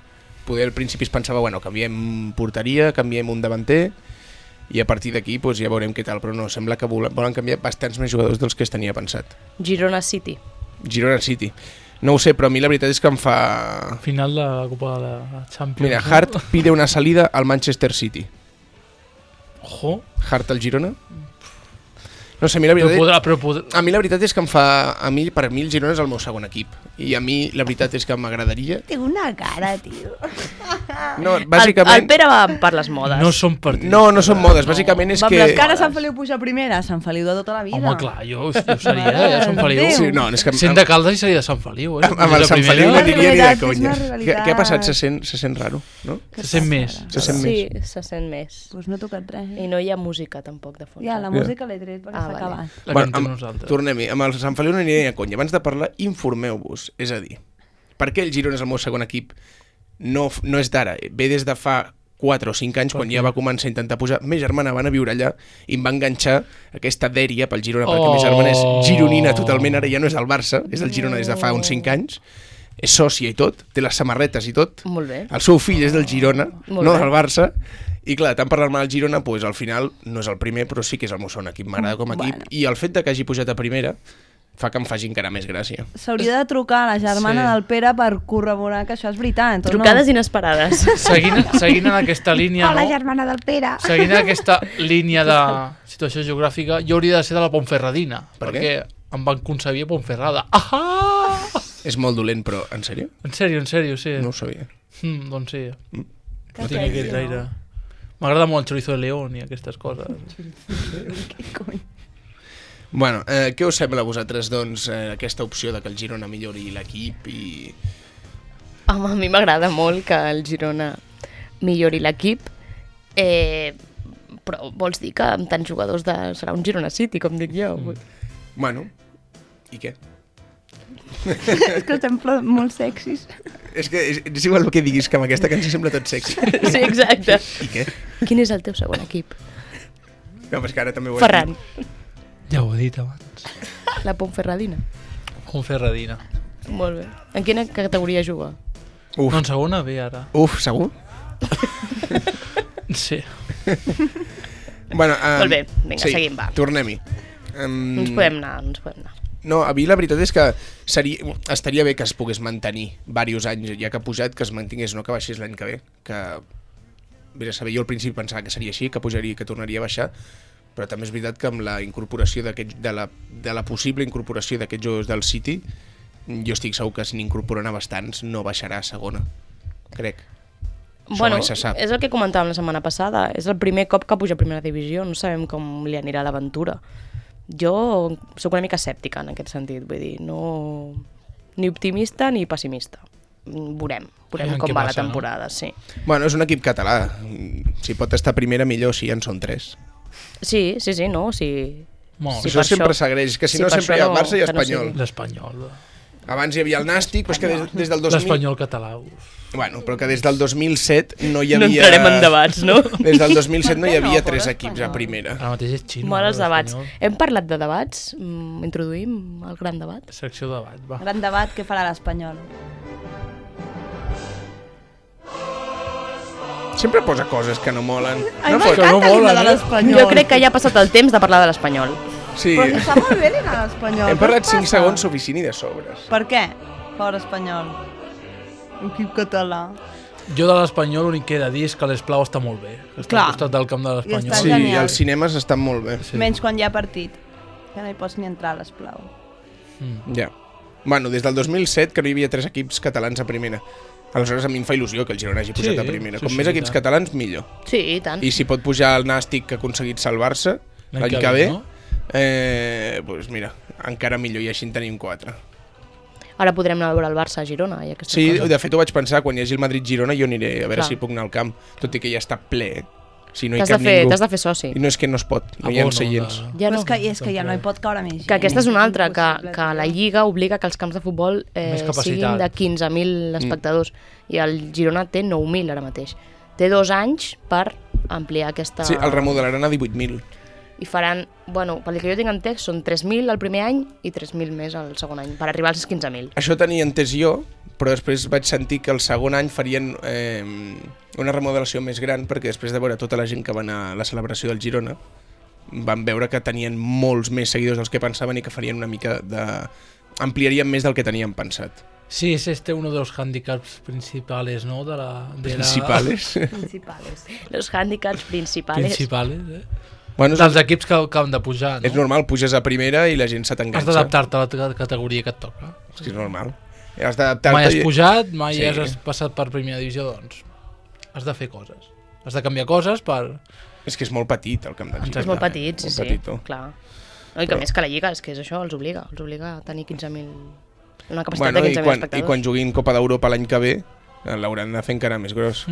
Speaker 1: Poder al principi es pensava, canviem porteria, canviem un davanter i a partir d'aquí ja veurem què tal, però no, sembla que volen canviar bastants més jugadors dels que es tenia pensat.
Speaker 3: Girona City.
Speaker 1: No ho sé, però a mi la veritat és que em fa...
Speaker 2: Final de la Copa de la Champions.
Speaker 1: Mira, Hart pide una salida al Manchester City.
Speaker 2: Ojo.
Speaker 1: Hart al Girona? No sé, a mi la veritat, a mi la veritat és que em fa... Per mi el Girona és el meu segon equip. I a mi la veritat és que m'agradaria...
Speaker 4: Té una cara, tio.
Speaker 1: No, bàsicament...
Speaker 3: El Pere va per les modes.
Speaker 2: No són partits.
Speaker 1: No són modes, bàsicament és que...
Speaker 4: Les cares Sant Feliu puja primera, Sant Feliu de tota la vida.
Speaker 2: Home, clar, jo seria de Sant Feliu.
Speaker 1: Sí, no, és que...
Speaker 2: Sent de Caldes i seria de Sant Feliu,
Speaker 1: Amb el Sant Feliu no diria ni de conya.
Speaker 4: rivalitat.
Speaker 1: Què ha passat? Se sent raro, no?
Speaker 2: Se sent més.
Speaker 3: Sí, se sent més.
Speaker 4: Doncs no he tocat res.
Speaker 3: I no hi ha música, tampoc, de fons.
Speaker 4: Ja, la música l'he tret perquè s'ha acabat.
Speaker 2: La cantem nosaltres.
Speaker 1: Tornem-hi. Amb el Sant Feliu no aniré a conya. Abans de parlar, informeu-vos. És a dir, per què el Girona és el meu segon equip? No és d'ara. Ve des de fa 4 o 5 anys, quan ja va començar a intentar pujar. Meva germana van a viure allà i em va enganxar aquesta dèria pel Girona, perquè meva germana és gironina totalment, ara ja no és del Barça, és del Girona des de fa uns 5 anys, és sòcia i tot, té les samarretes i tot.
Speaker 3: Molt bé.
Speaker 1: El seu fill és del Girona,
Speaker 3: Molt
Speaker 1: no
Speaker 3: bé.
Speaker 1: del Barça, i clar, tant parlar-me del Girona, doncs al final no és el primer, però sí que és el meu segon equip, m'agrada com a equip,
Speaker 4: Bueno.
Speaker 1: i el fet de que hagi pujat a primera fa que em faci encara més gràcia.
Speaker 4: S'hauria de trucar a la germana
Speaker 2: Sí.
Speaker 4: del Pere per corroborar que això és veritat. o
Speaker 3: Trucades
Speaker 4: no?
Speaker 3: inesperades.
Speaker 2: Seguint en aquesta línia,
Speaker 4: Hola,
Speaker 2: no?
Speaker 4: germana del Pere.
Speaker 2: Seguint en aquesta línia de situació geogràfica, jo hauria de ser de la Pontferradina,
Speaker 1: Per
Speaker 2: perquè em van concebir a Pontferrada. Ah!
Speaker 1: És molt dolent, però en sèrio?
Speaker 2: En sèrio, sí.
Speaker 1: No ho sabia.
Speaker 2: Doncs sí. No
Speaker 4: Que
Speaker 2: tinc aquest
Speaker 4: sexy,
Speaker 2: aire. M'agrada molt el chorizo de león i aquestes coses.
Speaker 4: Què cony?
Speaker 1: Bueno, què us sembla a vosaltres, doncs, aquesta opció de que el Girona millori l'equip i...
Speaker 3: Home, a mi m'agrada molt que el Girona millori l'equip, però vols dir que amb tants jugadors serà un Girona City, com dic jo?
Speaker 1: Bueno, i què?
Speaker 4: És que estem molt sexis.
Speaker 1: És que és igual el que diguis, que amb aquesta cançó sembla tot sexy.
Speaker 3: Sí, exacte.
Speaker 1: I què?
Speaker 3: Quin és el teu segon equip?
Speaker 1: No, però és que ara també ho he
Speaker 3: Ferran,
Speaker 2: Ja ho he dit abans.
Speaker 3: la Pontferradina.
Speaker 2: Pontferradina.
Speaker 3: Molt bé. En quina categoria juga?
Speaker 1: Uf,
Speaker 2: No, en segona B ara.
Speaker 1: segur?
Speaker 2: Sí.
Speaker 1: Bueno,
Speaker 3: Molt bé, vinga, seguim, va.
Speaker 1: Tornem-hi.
Speaker 3: No ens podem anar.
Speaker 1: No, a mi la veritat és que estaria bé que es pogués mantenir diversos anys, ja que ha pujat, que es mantingués, no que baixés l'any que ve, que vés a saber, jo al principi pensava que seria així, que pujaria, que tornaria a baixar, però també és veritat que amb la incorporació de la possible incorporació d'aquests jugadors del City, jo estic segur que si n'incorporen a bastants no baixarà a segona, crec. Això
Speaker 3: Bueno,
Speaker 1: mai se sap.
Speaker 3: és el que comentàvem la setmana passada. És el primer cop que puja a primera divisió. No sabem com li anirà l'aventura. Jo sóc una mica escèptica en aquest sentit. Vull dir, no... ni optimista ni pessimista. Veurem
Speaker 2: Aviam
Speaker 3: com
Speaker 2: què
Speaker 3: va
Speaker 2: passa,
Speaker 3: la temporada, sí.
Speaker 1: Bueno, és un equip català. Si pot estar primera, millor, si ja en són 3.
Speaker 3: Sí, no, sí.
Speaker 2: Molt.
Speaker 3: Sí,
Speaker 1: Això
Speaker 3: per
Speaker 1: sempre
Speaker 3: això-
Speaker 1: segueix, que si
Speaker 3: sí,
Speaker 1: no
Speaker 3: per
Speaker 1: sempre hi
Speaker 3: això
Speaker 1: ha el Barça i
Speaker 3: que no
Speaker 1: Espanyol.
Speaker 3: sigui.
Speaker 2: L'Espanyol.
Speaker 1: Abans hi havia el Nàstic, però és que des del 2000...
Speaker 2: L'Espanyol català. Uf.
Speaker 1: Bueno, però que des del 2007 no hi
Speaker 3: No
Speaker 1: havia...
Speaker 3: entrarem en debats, no?
Speaker 1: Des del 2007 no hi
Speaker 4: Per què no,
Speaker 1: havia
Speaker 4: pobre
Speaker 1: 3 equips a
Speaker 4: Espanyol?
Speaker 1: primera.
Speaker 2: Ara mateix és xino.
Speaker 3: Mola els debats.
Speaker 2: l'Espanyol.
Speaker 3: Hem parlat de debats? Introduïm el gran debat?
Speaker 2: Secció de debat, va.
Speaker 4: Gran debat, què farà l'Espanyol?
Speaker 1: Sempre posa coses que no molen.
Speaker 4: Ai,
Speaker 1: No
Speaker 4: m'encanta
Speaker 1: pot-
Speaker 2: no
Speaker 4: l'himne
Speaker 2: mola,
Speaker 4: de
Speaker 2: no?
Speaker 4: l'Espanyol.
Speaker 3: Jo crec que ja ha passat el temps de parlar de l'Espanyol.
Speaker 1: Sí,
Speaker 4: Però està molt bé l'himne de l'Espanyol.
Speaker 1: hem
Speaker 4: què
Speaker 1: parlat
Speaker 4: us
Speaker 1: 5
Speaker 4: passa?
Speaker 1: segons suficient i de sobres.
Speaker 4: Per què? Pobre Espanyol. Equip català.
Speaker 2: Jo de l'Espanyol l'únic que he de dir és que l'Esplau està molt bé. Està
Speaker 4: Clar.
Speaker 2: al costat del camp de l'Espanyol.
Speaker 4: està
Speaker 1: Sí,
Speaker 4: genial.
Speaker 1: els cinemes estan molt bé.
Speaker 2: Sí.
Speaker 4: Menys quan hi ha partit. Que no hi pots ni entrar a l'Esplau.
Speaker 1: Ja. Bueno, des del 2007 que no hi havia 3 equips catalans a primera. Aleshores a mi em fa il·lusió que el Girona hagi pujat
Speaker 2: Sí,
Speaker 1: a primera.
Speaker 2: sí,
Speaker 1: Com
Speaker 2: sí,
Speaker 1: més
Speaker 2: i
Speaker 1: equips
Speaker 2: tant.
Speaker 1: catalans, millor.
Speaker 3: Sí, i tant.
Speaker 1: I si pot pujar el Nàstic que ha aconseguit salvar-se l'any que ve, doncs mira, encara millor, i així en tenim 4.
Speaker 3: Ara podrem anar a veure el Barça a Girona i aquestes
Speaker 1: Sí,
Speaker 3: coses.
Speaker 1: de fet ho vaig pensar, quan hi hagi el Madrid-Girona jo aniré a veure
Speaker 3: Clar.
Speaker 1: si puc anar al camp, tot i que ja està ple, si no hi
Speaker 3: T'has
Speaker 1: cap
Speaker 3: de fer,
Speaker 1: ningú.
Speaker 3: t'has de fer soci.
Speaker 1: I no és que no es pot, no hi ha seients.
Speaker 3: Ja
Speaker 4: Però
Speaker 3: no.
Speaker 4: és que ja no hi pot caure més gent.
Speaker 3: Que aquesta és una altra,
Speaker 4: impossible,
Speaker 3: que la Lliga obliga que els camps de futbol
Speaker 2: Més capacitat.
Speaker 3: siguin de 15.000 espectadors i el Girona té 9.000 ara mateix. Té 2 anys per ampliar aquesta...
Speaker 1: Sí, el remodelaran a 18.000.
Speaker 3: I faran, bueno, pel que jo tinc entès, són 3.000 el primer any i 3.000 més el segon any, per arribar als 15.000.
Speaker 1: Això tenia entès jo, però després vaig sentir que el segon any farien una remodelació més gran, perquè després de veure tota la gent que va anar a la celebració del Girona, van veure que tenien molts més seguidors dels que pensaven i que farien una mica de... ampliarien més del que tenien pensat.
Speaker 2: Sí, es uno de los handicaps principales, ¿no?
Speaker 1: Principales.
Speaker 4: Principales.
Speaker 3: Los hàndicaps principals.
Speaker 2: Principales,
Speaker 1: Bueno,
Speaker 2: dels equips que han de pujar, no?
Speaker 1: és normal, puges a primera i la gent se
Speaker 2: Has
Speaker 1: t'enganxa.
Speaker 2: d'adaptar-te a la categoria que et toca.
Speaker 1: És que és normal. Has d'adaptar-te.
Speaker 2: Mai has pujat, mai
Speaker 1: Sí.
Speaker 2: has passat per primera divisió, doncs has de fer coses. Has de canviar coses per...
Speaker 1: És que és molt petit el camp del Girona.
Speaker 3: És molt petit, sí,
Speaker 1: Molt
Speaker 3: sí,
Speaker 1: petitó.
Speaker 3: clar. No, I que
Speaker 1: Però-
Speaker 3: més que la Lliga, és que és això, els obliga a tenir 15.000... Una capacitat
Speaker 1: Bueno,
Speaker 3: de
Speaker 1: i
Speaker 3: 15.000
Speaker 1: quan
Speaker 3: espectadors.
Speaker 1: juguin Copa d'Europa l'any que ve, l'hauran de fer encara més gros.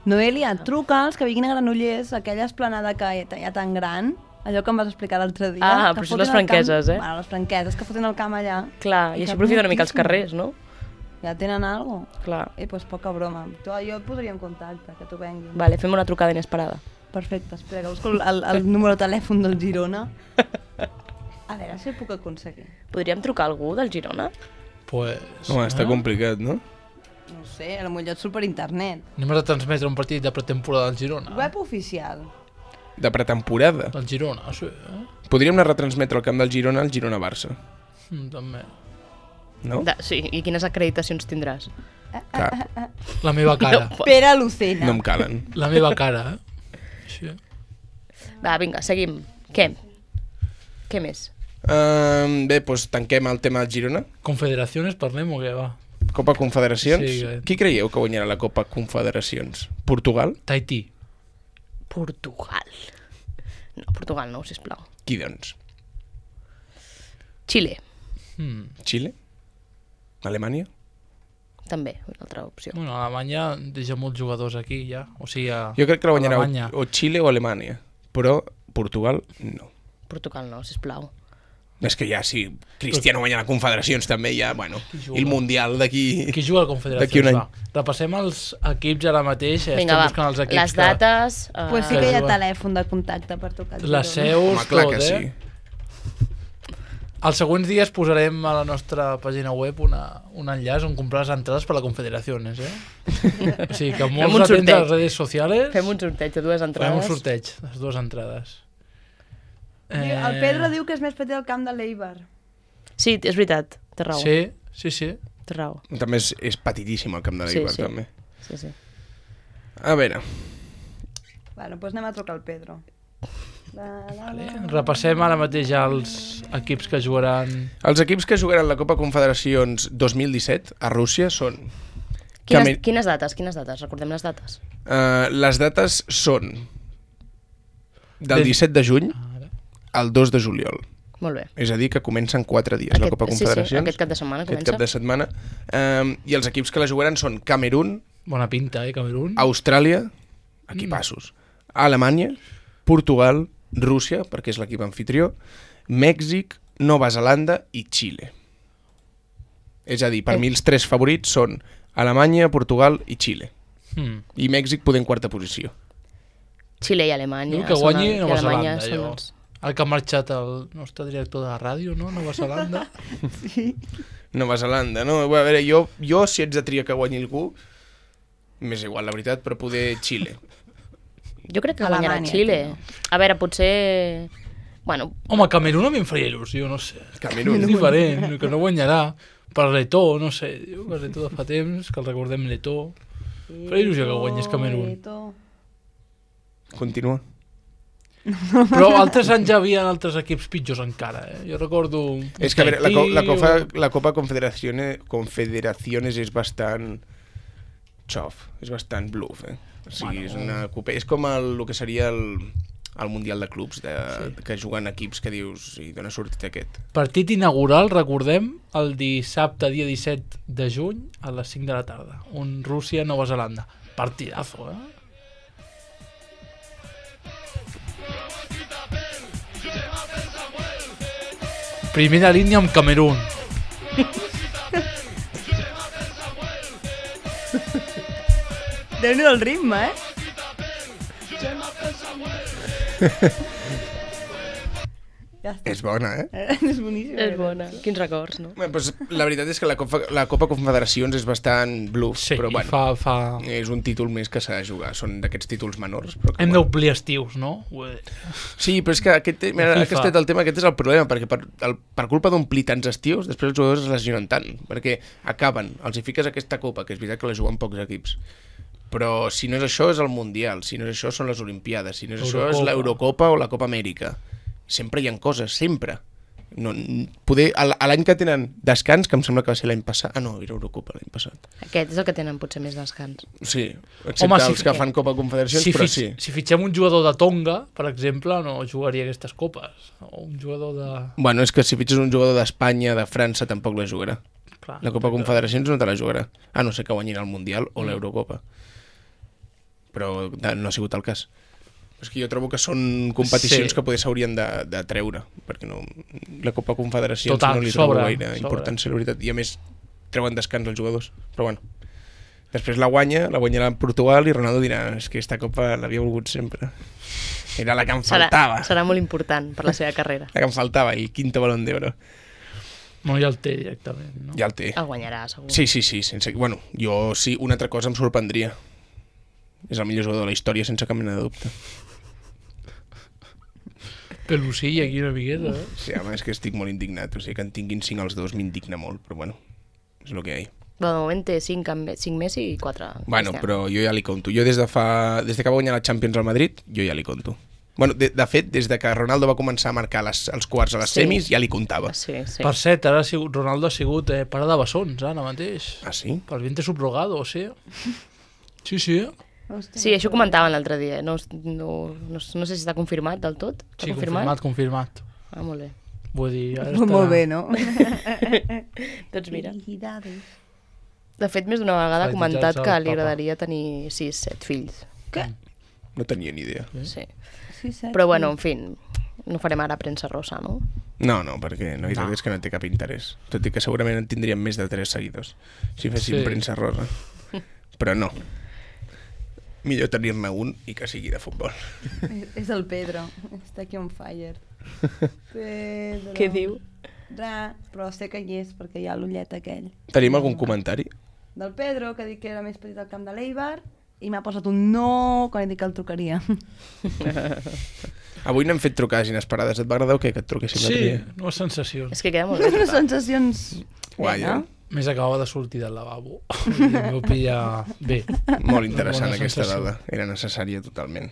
Speaker 4: Noelia, truca'ls que vinguin a Granollers, aquella esplanada que hi ha tan gran, allò que em vas explicar l'altre dia.
Speaker 3: Ah,
Speaker 4: que
Speaker 3: però això
Speaker 4: foten
Speaker 3: les
Speaker 4: el camp-
Speaker 3: franqueses, eh?
Speaker 4: Bueno, les franqueses que foten el camp allà.
Speaker 3: Clar, i
Speaker 4: I
Speaker 3: així
Speaker 4: cap
Speaker 3: aprofita una mica els
Speaker 4: moltíssim.
Speaker 3: carrers, no?
Speaker 4: Ja tenen alguna cosa?
Speaker 3: Clar.
Speaker 4: Pues poca broma. Jo et posaria en contacte, que tu venguis.
Speaker 3: Vale, fem una trucada inesperada.
Speaker 4: Perfecte, espera, que busco el número de telèfon del Girona. A veure si ho puc aconseguir.
Speaker 3: Podríem trucar a algú del Girona?
Speaker 2: Pues,
Speaker 1: Home, està complicat, no?
Speaker 4: No ho sé, potser et surt per internet.
Speaker 2: Anem a transmetre un partit de pretemporada del Girona.
Speaker 4: Web oficial.
Speaker 1: De pretemporada.
Speaker 2: Del Girona, sí.
Speaker 1: Podríem anar a retransmetre al camp del Girona al Girona-Barça,
Speaker 2: També.
Speaker 1: no?
Speaker 3: Sí, i quines acreditacions tindràs?
Speaker 1: Cap.
Speaker 2: La meva cara.
Speaker 4: Pere Lucena.
Speaker 1: No em calen.
Speaker 2: La meva cara, Sí.
Speaker 3: Va, vinga, seguim. Què? Què més?
Speaker 1: Bé, doncs tanquem el tema del Girona.
Speaker 2: Confederaciones, parlem o què va?
Speaker 1: Copa Confederacions.
Speaker 2: Sí,
Speaker 1: Qui creieu que guanyarà la Copa Confederacions? Portugal?
Speaker 2: Tahití.
Speaker 3: Portugal. No, Portugal no, sisplau.
Speaker 1: Qui, doncs?
Speaker 3: Xile,
Speaker 1: Xile? Alemanya?
Speaker 3: també, una altra opció.
Speaker 2: Bueno, Alemanya deixa molts jugadors aquí ja. O sigui,
Speaker 1: Jo crec que la guanyarà
Speaker 2: Alemanya.
Speaker 1: o Xile o Alemanya, però Portugal no.
Speaker 3: Portugal no, sisplau.
Speaker 1: És que ja, si Cristiano guanya la Confederacions també, ja, bueno,
Speaker 2: juga?
Speaker 1: i el Mundial d'aquí...
Speaker 2: Qui juga a la
Speaker 1: D'aquí un
Speaker 2: Confederacions?
Speaker 1: any.
Speaker 2: Va. Repassem els equips ara mateix.
Speaker 3: Vinga,
Speaker 2: estem
Speaker 3: va,
Speaker 2: buscant els equips
Speaker 3: les dates...
Speaker 4: Pues sí
Speaker 2: que
Speaker 4: que hi ha
Speaker 2: juga.
Speaker 4: telèfon de contacte per trucar al
Speaker 2: Les
Speaker 4: Girona.
Speaker 2: seus,
Speaker 1: Home, clar
Speaker 2: tot,
Speaker 1: que sí.
Speaker 2: Els següents dies posarem a la nostra pàgina web un enllaç on comprar les entrades per la Confederaciones, O sigui que
Speaker 3: un
Speaker 2: molts atents a
Speaker 3: sorteig.
Speaker 2: les redes socials
Speaker 3: Fem un sorteig de dues
Speaker 2: farem
Speaker 3: entrades.
Speaker 2: un sorteig, les dues entrades.
Speaker 4: El Pedro diu que és més petit el camp de l'Eibar.
Speaker 3: Sí, és veritat, té raó.
Speaker 2: Sí.
Speaker 3: Té raó.
Speaker 1: També és petitíssim el camp de
Speaker 3: Sí,
Speaker 1: l'Eibar,
Speaker 3: sí.
Speaker 1: també.
Speaker 3: Sí.
Speaker 1: A veure,
Speaker 4: Bueno, doncs anem a trucar al Pedro.
Speaker 2: Vale. Repassem ara mateix els equips que jugaran...
Speaker 1: els equips que jugaran la Copa Confederacions 2017 a Rússia són...
Speaker 3: Quines dates? Recordem les dates.
Speaker 1: Les dates són del
Speaker 2: Des-
Speaker 1: 17 de juny
Speaker 2: Ara.
Speaker 1: al 2 de juliol.
Speaker 3: Molt bé.
Speaker 1: És a dir, que comencen 4 dies la Copa Confederacions.
Speaker 3: Sí, aquest cap de setmana
Speaker 1: Aquest
Speaker 3: comença.
Speaker 1: cap de setmana. I els equips que la jugaran són Camerún,
Speaker 2: Bona pinta, Camerún?
Speaker 1: Austràlia, equipassos, Alemanya, Portugal, Rússia, perquè és l'equip anfitrió, Mèxic, Nova Zelanda i Xile. És a dir, per mi els 3 favorits són Alemanya, Portugal i Xile. I Mèxic poder en quarta posició.
Speaker 3: Xile i Alemanya.
Speaker 2: Diu que guanyi
Speaker 3: i
Speaker 2: Nova
Speaker 3: Alemanya
Speaker 2: Zelanda,
Speaker 3: són
Speaker 2: jo.
Speaker 3: els-
Speaker 2: El que ha marxat el nostre director de la ràdio, no? Nova Zelanda.
Speaker 1: Nova Zelanda, no? A veure, jo si ets de triar que guanyi algú, m'és igual, la veritat, però poder Xile.
Speaker 3: Jo crec que guanyarà
Speaker 4: Alemanya,
Speaker 3: Xile.
Speaker 4: tio.
Speaker 3: A veure, potser... Bueno,
Speaker 2: Home, Camerún a mi em faria il·lusió, no sé.
Speaker 1: Camerún.
Speaker 2: És diferent, que no guanyarà. Per l'Etó, no sé. Diu que l'Etó de fa temps, que el recordem l'Etó. Faria il·lusió que guanyés Camerún.
Speaker 1: Continua.
Speaker 2: Però altres anys hi havia altres equips pitjors encara, Jo recordo...
Speaker 1: És que a veure,
Speaker 2: Tahití
Speaker 1: la Copa Confederaciones és bastant xof, és bastant bluff, O sigui, és una copa... És com el que seria el Mundial de Clubs, que juguen equips que dius, i d'on ha sortit aquest?
Speaker 2: Partit inaugural, recordem, el dissabte, dia 17 de juny, a les 5 de la tarda. Un Rússia-Nova Zelanda. Partidazo, Primera línia amb Camerún.
Speaker 4: Déu-n'hi-do el ritme, Ja està.
Speaker 1: És bona,
Speaker 4: És boníssim.
Speaker 3: és bona. Quins records, no?
Speaker 1: Bé, doncs, la veritat és que la Copa Confederacions és bastant bluff,
Speaker 2: Sí,
Speaker 1: però bueno,
Speaker 2: fa...
Speaker 1: és un títol més que s'ha de jugar. Són d'aquests títols menors. Però que,
Speaker 2: Hem
Speaker 1: bueno.
Speaker 2: d'omplir estius, no? Vull dir,
Speaker 1: Sí, però és que mira,
Speaker 2: FIFA.
Speaker 1: aquest el tema, aquest és el problema, perquè per culpa d'omplir tants estius, després els jugadors es lesionen tant, perquè acaben, els hi fiques aquesta copa, que és veritat que la juguen pocs equips, però si no és això és el Mundial, si no és això són les Olimpiades, si no és això és l'Eurocopa o la Copa Amèrica. Sempre hi ha coses, sempre. No, poder, a l'any que tenen descans, que em sembla que va ser l'any passat... Ah, no, era Eurocopa l'any passat.
Speaker 3: Aquest és el que tenen potser més descans.
Speaker 1: Sí, excepte
Speaker 2: Home,
Speaker 1: els que fan Copa Confederacions, però sí.
Speaker 2: Si fitxem un jugador de Tonga, per exemple, no jugaria aquestes copes. O un jugador de...
Speaker 1: Bueno, és que si fitxes un jugador d'Espanya, de França, tampoc la jugarà.
Speaker 2: Clar,
Speaker 1: La Copa Confederacions no te la jugarà. A no ser que guanyin el Mundial o l'Eurocopa. Però no ha sigut el cas. És que jo trobo que són competicions que potser s'haurien de treure, perquè no, la Copa Confederacions
Speaker 2: Total,
Speaker 1: no li trobo
Speaker 2: sobra,
Speaker 1: gaire
Speaker 2: sobra.
Speaker 1: importància, la veritat. I a més, treuen descans els jugadors, però bueno. Després la guanyarà en Portugal i Ronaldo dirà, és que aquesta copa l'havia volgut sempre. Era la que em faltava.
Speaker 3: Serà molt important per la seva carrera.
Speaker 1: La que em faltava, el quinto Balón d'Oro.
Speaker 2: No, ja el té directament, no?
Speaker 1: Ja el té.
Speaker 3: El guanyarà, segur.
Speaker 1: Sí, sense... Bueno, jo sí, una altra cosa em sorprendria. És el millor jugador de la història, sense cap mena de dubte.
Speaker 2: Pelucilla aquí una miqueta, eh?
Speaker 1: Sí, home, és que estic molt indignat. O sigui, que en tinguin 5 els dos m'indigna molt, però bueno, és el que hi ha.
Speaker 3: Bueno, de moment té 5 Messi i 4
Speaker 1: Bueno,
Speaker 3: Cristiano.
Speaker 1: però jo ja li conto. Jo des que va guanyar la Champions al Madrid, jo ja li conto. Bueno, de fet, des de que Ronaldo va començar a marcar els quarts a les semis, ja li comptava.
Speaker 3: Sí.
Speaker 2: Per cert, ara Ronaldo ha sigut pare de bessons, ara mateix.
Speaker 1: Ah, sí?
Speaker 2: Pel vientre subrogado, o sigui. Sí.
Speaker 4: Hòstia,
Speaker 3: Sí, això comentaven l'altre dia. No sé si està confirmat del tot. Està
Speaker 2: Sí, confirmat.
Speaker 3: Ah, molt bé.
Speaker 2: Vull dir, ara
Speaker 4: Molt bé, no?
Speaker 3: Doncs mira.
Speaker 4: Felicidades.
Speaker 3: De fet, més d'una vegada ha
Speaker 2: Fa
Speaker 3: comentat
Speaker 2: desitjar-se
Speaker 3: que
Speaker 2: al
Speaker 3: li
Speaker 2: papa.
Speaker 3: agradaria tenir 6-7 fills.
Speaker 4: Què?
Speaker 1: No tenia ni idea.
Speaker 3: Sí.
Speaker 4: Sí, set.
Speaker 3: Però bueno, en fi, no farem ara premsa rosa, no?
Speaker 1: No, perquè no, és que no té cap interès. Tot i que segurament en tindríem més de 3 seguidors si féssim premsa rosa. Però no. Millor tenir-ne un i que sigui de futbol.
Speaker 4: És el Pedro. Està aquí on fire. Pedro.
Speaker 3: Què diu?
Speaker 4: Però sé que hi és, perquè hi ha l'ullet aquell.
Speaker 1: Tenim algun comentari?
Speaker 4: Del Pedro, que ha dit que era més petit al camp de l'Eibar, i m'ha posat un no quan he dit que el trucaria.
Speaker 1: Avui n'hem fet trucades inesperades. Et va agradar o què, que et truquéssim l'altre
Speaker 2: Sí,
Speaker 1: dia?
Speaker 2: noves sensacions.
Speaker 3: És que queda molt bé.
Speaker 4: Unes sensacions...
Speaker 1: Guai,
Speaker 4: no?
Speaker 2: Més acabava de sortir del lavabo. Em vau pillar bé.
Speaker 1: Molt interessant
Speaker 2: Bona
Speaker 1: aquesta
Speaker 2: sensació.
Speaker 1: dada. Era necessària totalment.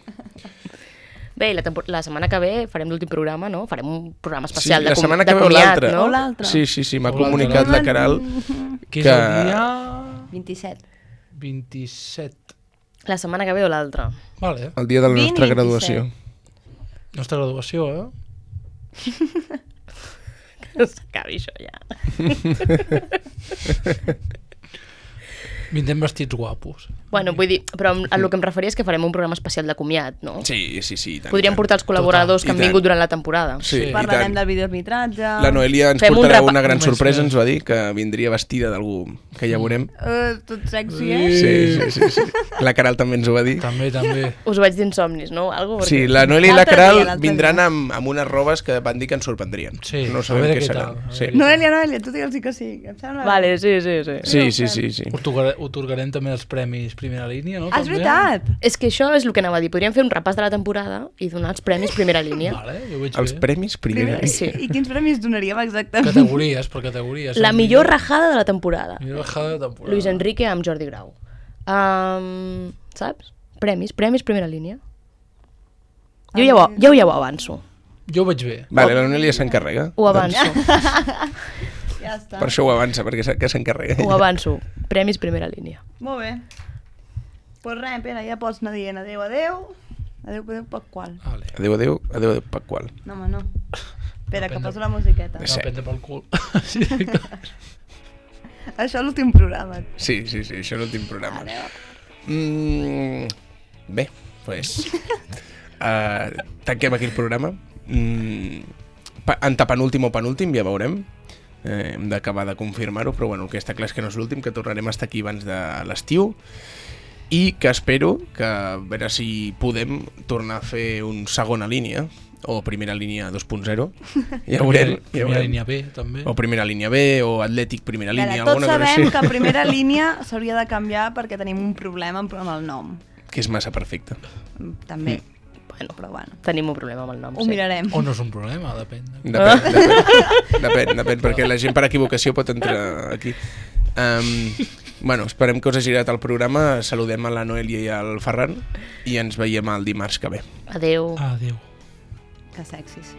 Speaker 3: Bé, la setmana que ve farem l'últim programa, no? Farem un programa
Speaker 1: Sí,
Speaker 3: especial
Speaker 1: la setmana que ve o
Speaker 3: comiat,
Speaker 1: l'altra.
Speaker 3: no?
Speaker 4: O l'altre.
Speaker 1: Sí, m'ha
Speaker 2: O l'altre.
Speaker 1: comunicat la Caral
Speaker 2: Que és el dia
Speaker 4: 27.
Speaker 2: 27.
Speaker 3: La setmana que ve o l'altra.
Speaker 2: Vale.
Speaker 1: el dia de la
Speaker 4: 20,
Speaker 1: nostra
Speaker 4: 27.
Speaker 1: graduació.
Speaker 2: Nostra graduació, eh?
Speaker 3: Que s'acabi això ja.
Speaker 2: Vindrem vestits guapos.
Speaker 3: Bueno, vull dir, però a el que em referia és que farem un programa especial de comiat, no?
Speaker 1: Sí, i tant.
Speaker 3: Podríem portar els col·laboradors que
Speaker 1: I
Speaker 3: han
Speaker 1: tant.
Speaker 3: vingut durant la temporada.
Speaker 1: Sí, i
Speaker 4: Parlarem
Speaker 1: tant.
Speaker 4: del videoarbitratge.
Speaker 1: La Noelia ens
Speaker 3: Fem un
Speaker 1: portarà
Speaker 3: repa-
Speaker 1: una gran
Speaker 2: Només
Speaker 1: sorpresa,
Speaker 2: fem.
Speaker 1: ens va dir, que vindria vestida d'algú que ja veurem.
Speaker 4: Tot sexy, eh?
Speaker 1: Sí. La Caral també ens ho va dir.
Speaker 2: També.
Speaker 3: Us ho vaig dir insomnis, no? Algo,
Speaker 1: Sí,
Speaker 3: perquè...
Speaker 1: la Noelia i la
Speaker 4: L'altre
Speaker 1: Caral
Speaker 4: dia, l'altre
Speaker 1: vindran
Speaker 4: dia.
Speaker 1: amb unes robes que van dir que ens sorprendrien.
Speaker 2: Sí,
Speaker 1: No
Speaker 2: a
Speaker 1: sabem
Speaker 2: veure
Speaker 1: què
Speaker 2: què
Speaker 1: seran.
Speaker 2: tal, a
Speaker 1: Sí.
Speaker 2: veure.
Speaker 4: Noelia, tu digue'ls que sí. Em sembla...
Speaker 3: Vale, sí.
Speaker 1: Sí.
Speaker 2: Otorgarem també els premis Primera Línia, no?
Speaker 4: Ah, és
Speaker 2: També?
Speaker 4: veritat!
Speaker 3: És que això és el que anava a dir. Podríem fer un repàs de la temporada i donar els premis primera línia.
Speaker 2: Vale, jo ho veig
Speaker 1: Els
Speaker 2: bé.
Speaker 1: premis primera.
Speaker 3: Sí.
Speaker 4: I quins premis donaríem exactament?
Speaker 2: Categories, per categories.
Speaker 3: La millor rajada de la temporada.
Speaker 2: Millor rajada de temporada.
Speaker 3: Luis Enrique amb Jordi Grau. Saps? Premis primera línia. Jo ja ho avanço.
Speaker 2: Jo ho veig bé.
Speaker 1: Vale, la Noelia s'encarrega.
Speaker 3: Ho avanço.
Speaker 4: Ja està.
Speaker 1: Per això ho avança, perquè sap que s'encarrega.
Speaker 3: Ho avanço. Premis primera línia.
Speaker 4: Molt bé. Pues res, Pere, ja pots anar dient adéu. Adéu, per qual?
Speaker 2: Vale.
Speaker 1: Adéu, per qual.
Speaker 4: No, home, no. Espera, que
Speaker 2: Depèn de-
Speaker 4: poso la musiqueta.
Speaker 1: Sí.
Speaker 2: No, prendre pel cul. Sí, clar.
Speaker 4: Això és l'últim programa.
Speaker 1: Sí, això és l'últim programa.
Speaker 4: Adéu.
Speaker 1: Bé, doncs... tanquem aquí el programa. Antepenúltim o penúltim, ja veurem. Hem d'acabar de confirmar-ho, però bueno, el que està clar és que no és l'últim, que tornarem a estar aquí abans de l'estiu i que espero que a veure si podem tornar a fer un segona línia o primera línia 2.0. Ja veurem.
Speaker 2: Primera línia B, també.
Speaker 1: O primera línia B, o Atlètic primera línia.
Speaker 4: Tots
Speaker 1: alguna cosa
Speaker 4: sabem
Speaker 1: així.
Speaker 4: que en primera línia s'hauria de canviar perquè tenim un problema amb el nom.
Speaker 1: Que és massa perfecte.
Speaker 4: També.
Speaker 3: Bueno,
Speaker 4: Però bueno,
Speaker 3: tenim un problema amb el nom.
Speaker 4: ho mirarem.
Speaker 2: O no és un problema, depèn.
Speaker 1: Depèn, perquè la gent per equivocació pot entrar aquí. Bueno, esperem que us hagi agradat el programa. Saludem a la Noelia i al Ferran i ens veiem el dimarts que ve.
Speaker 3: Adéu.
Speaker 2: Adéu.
Speaker 4: Que sexis.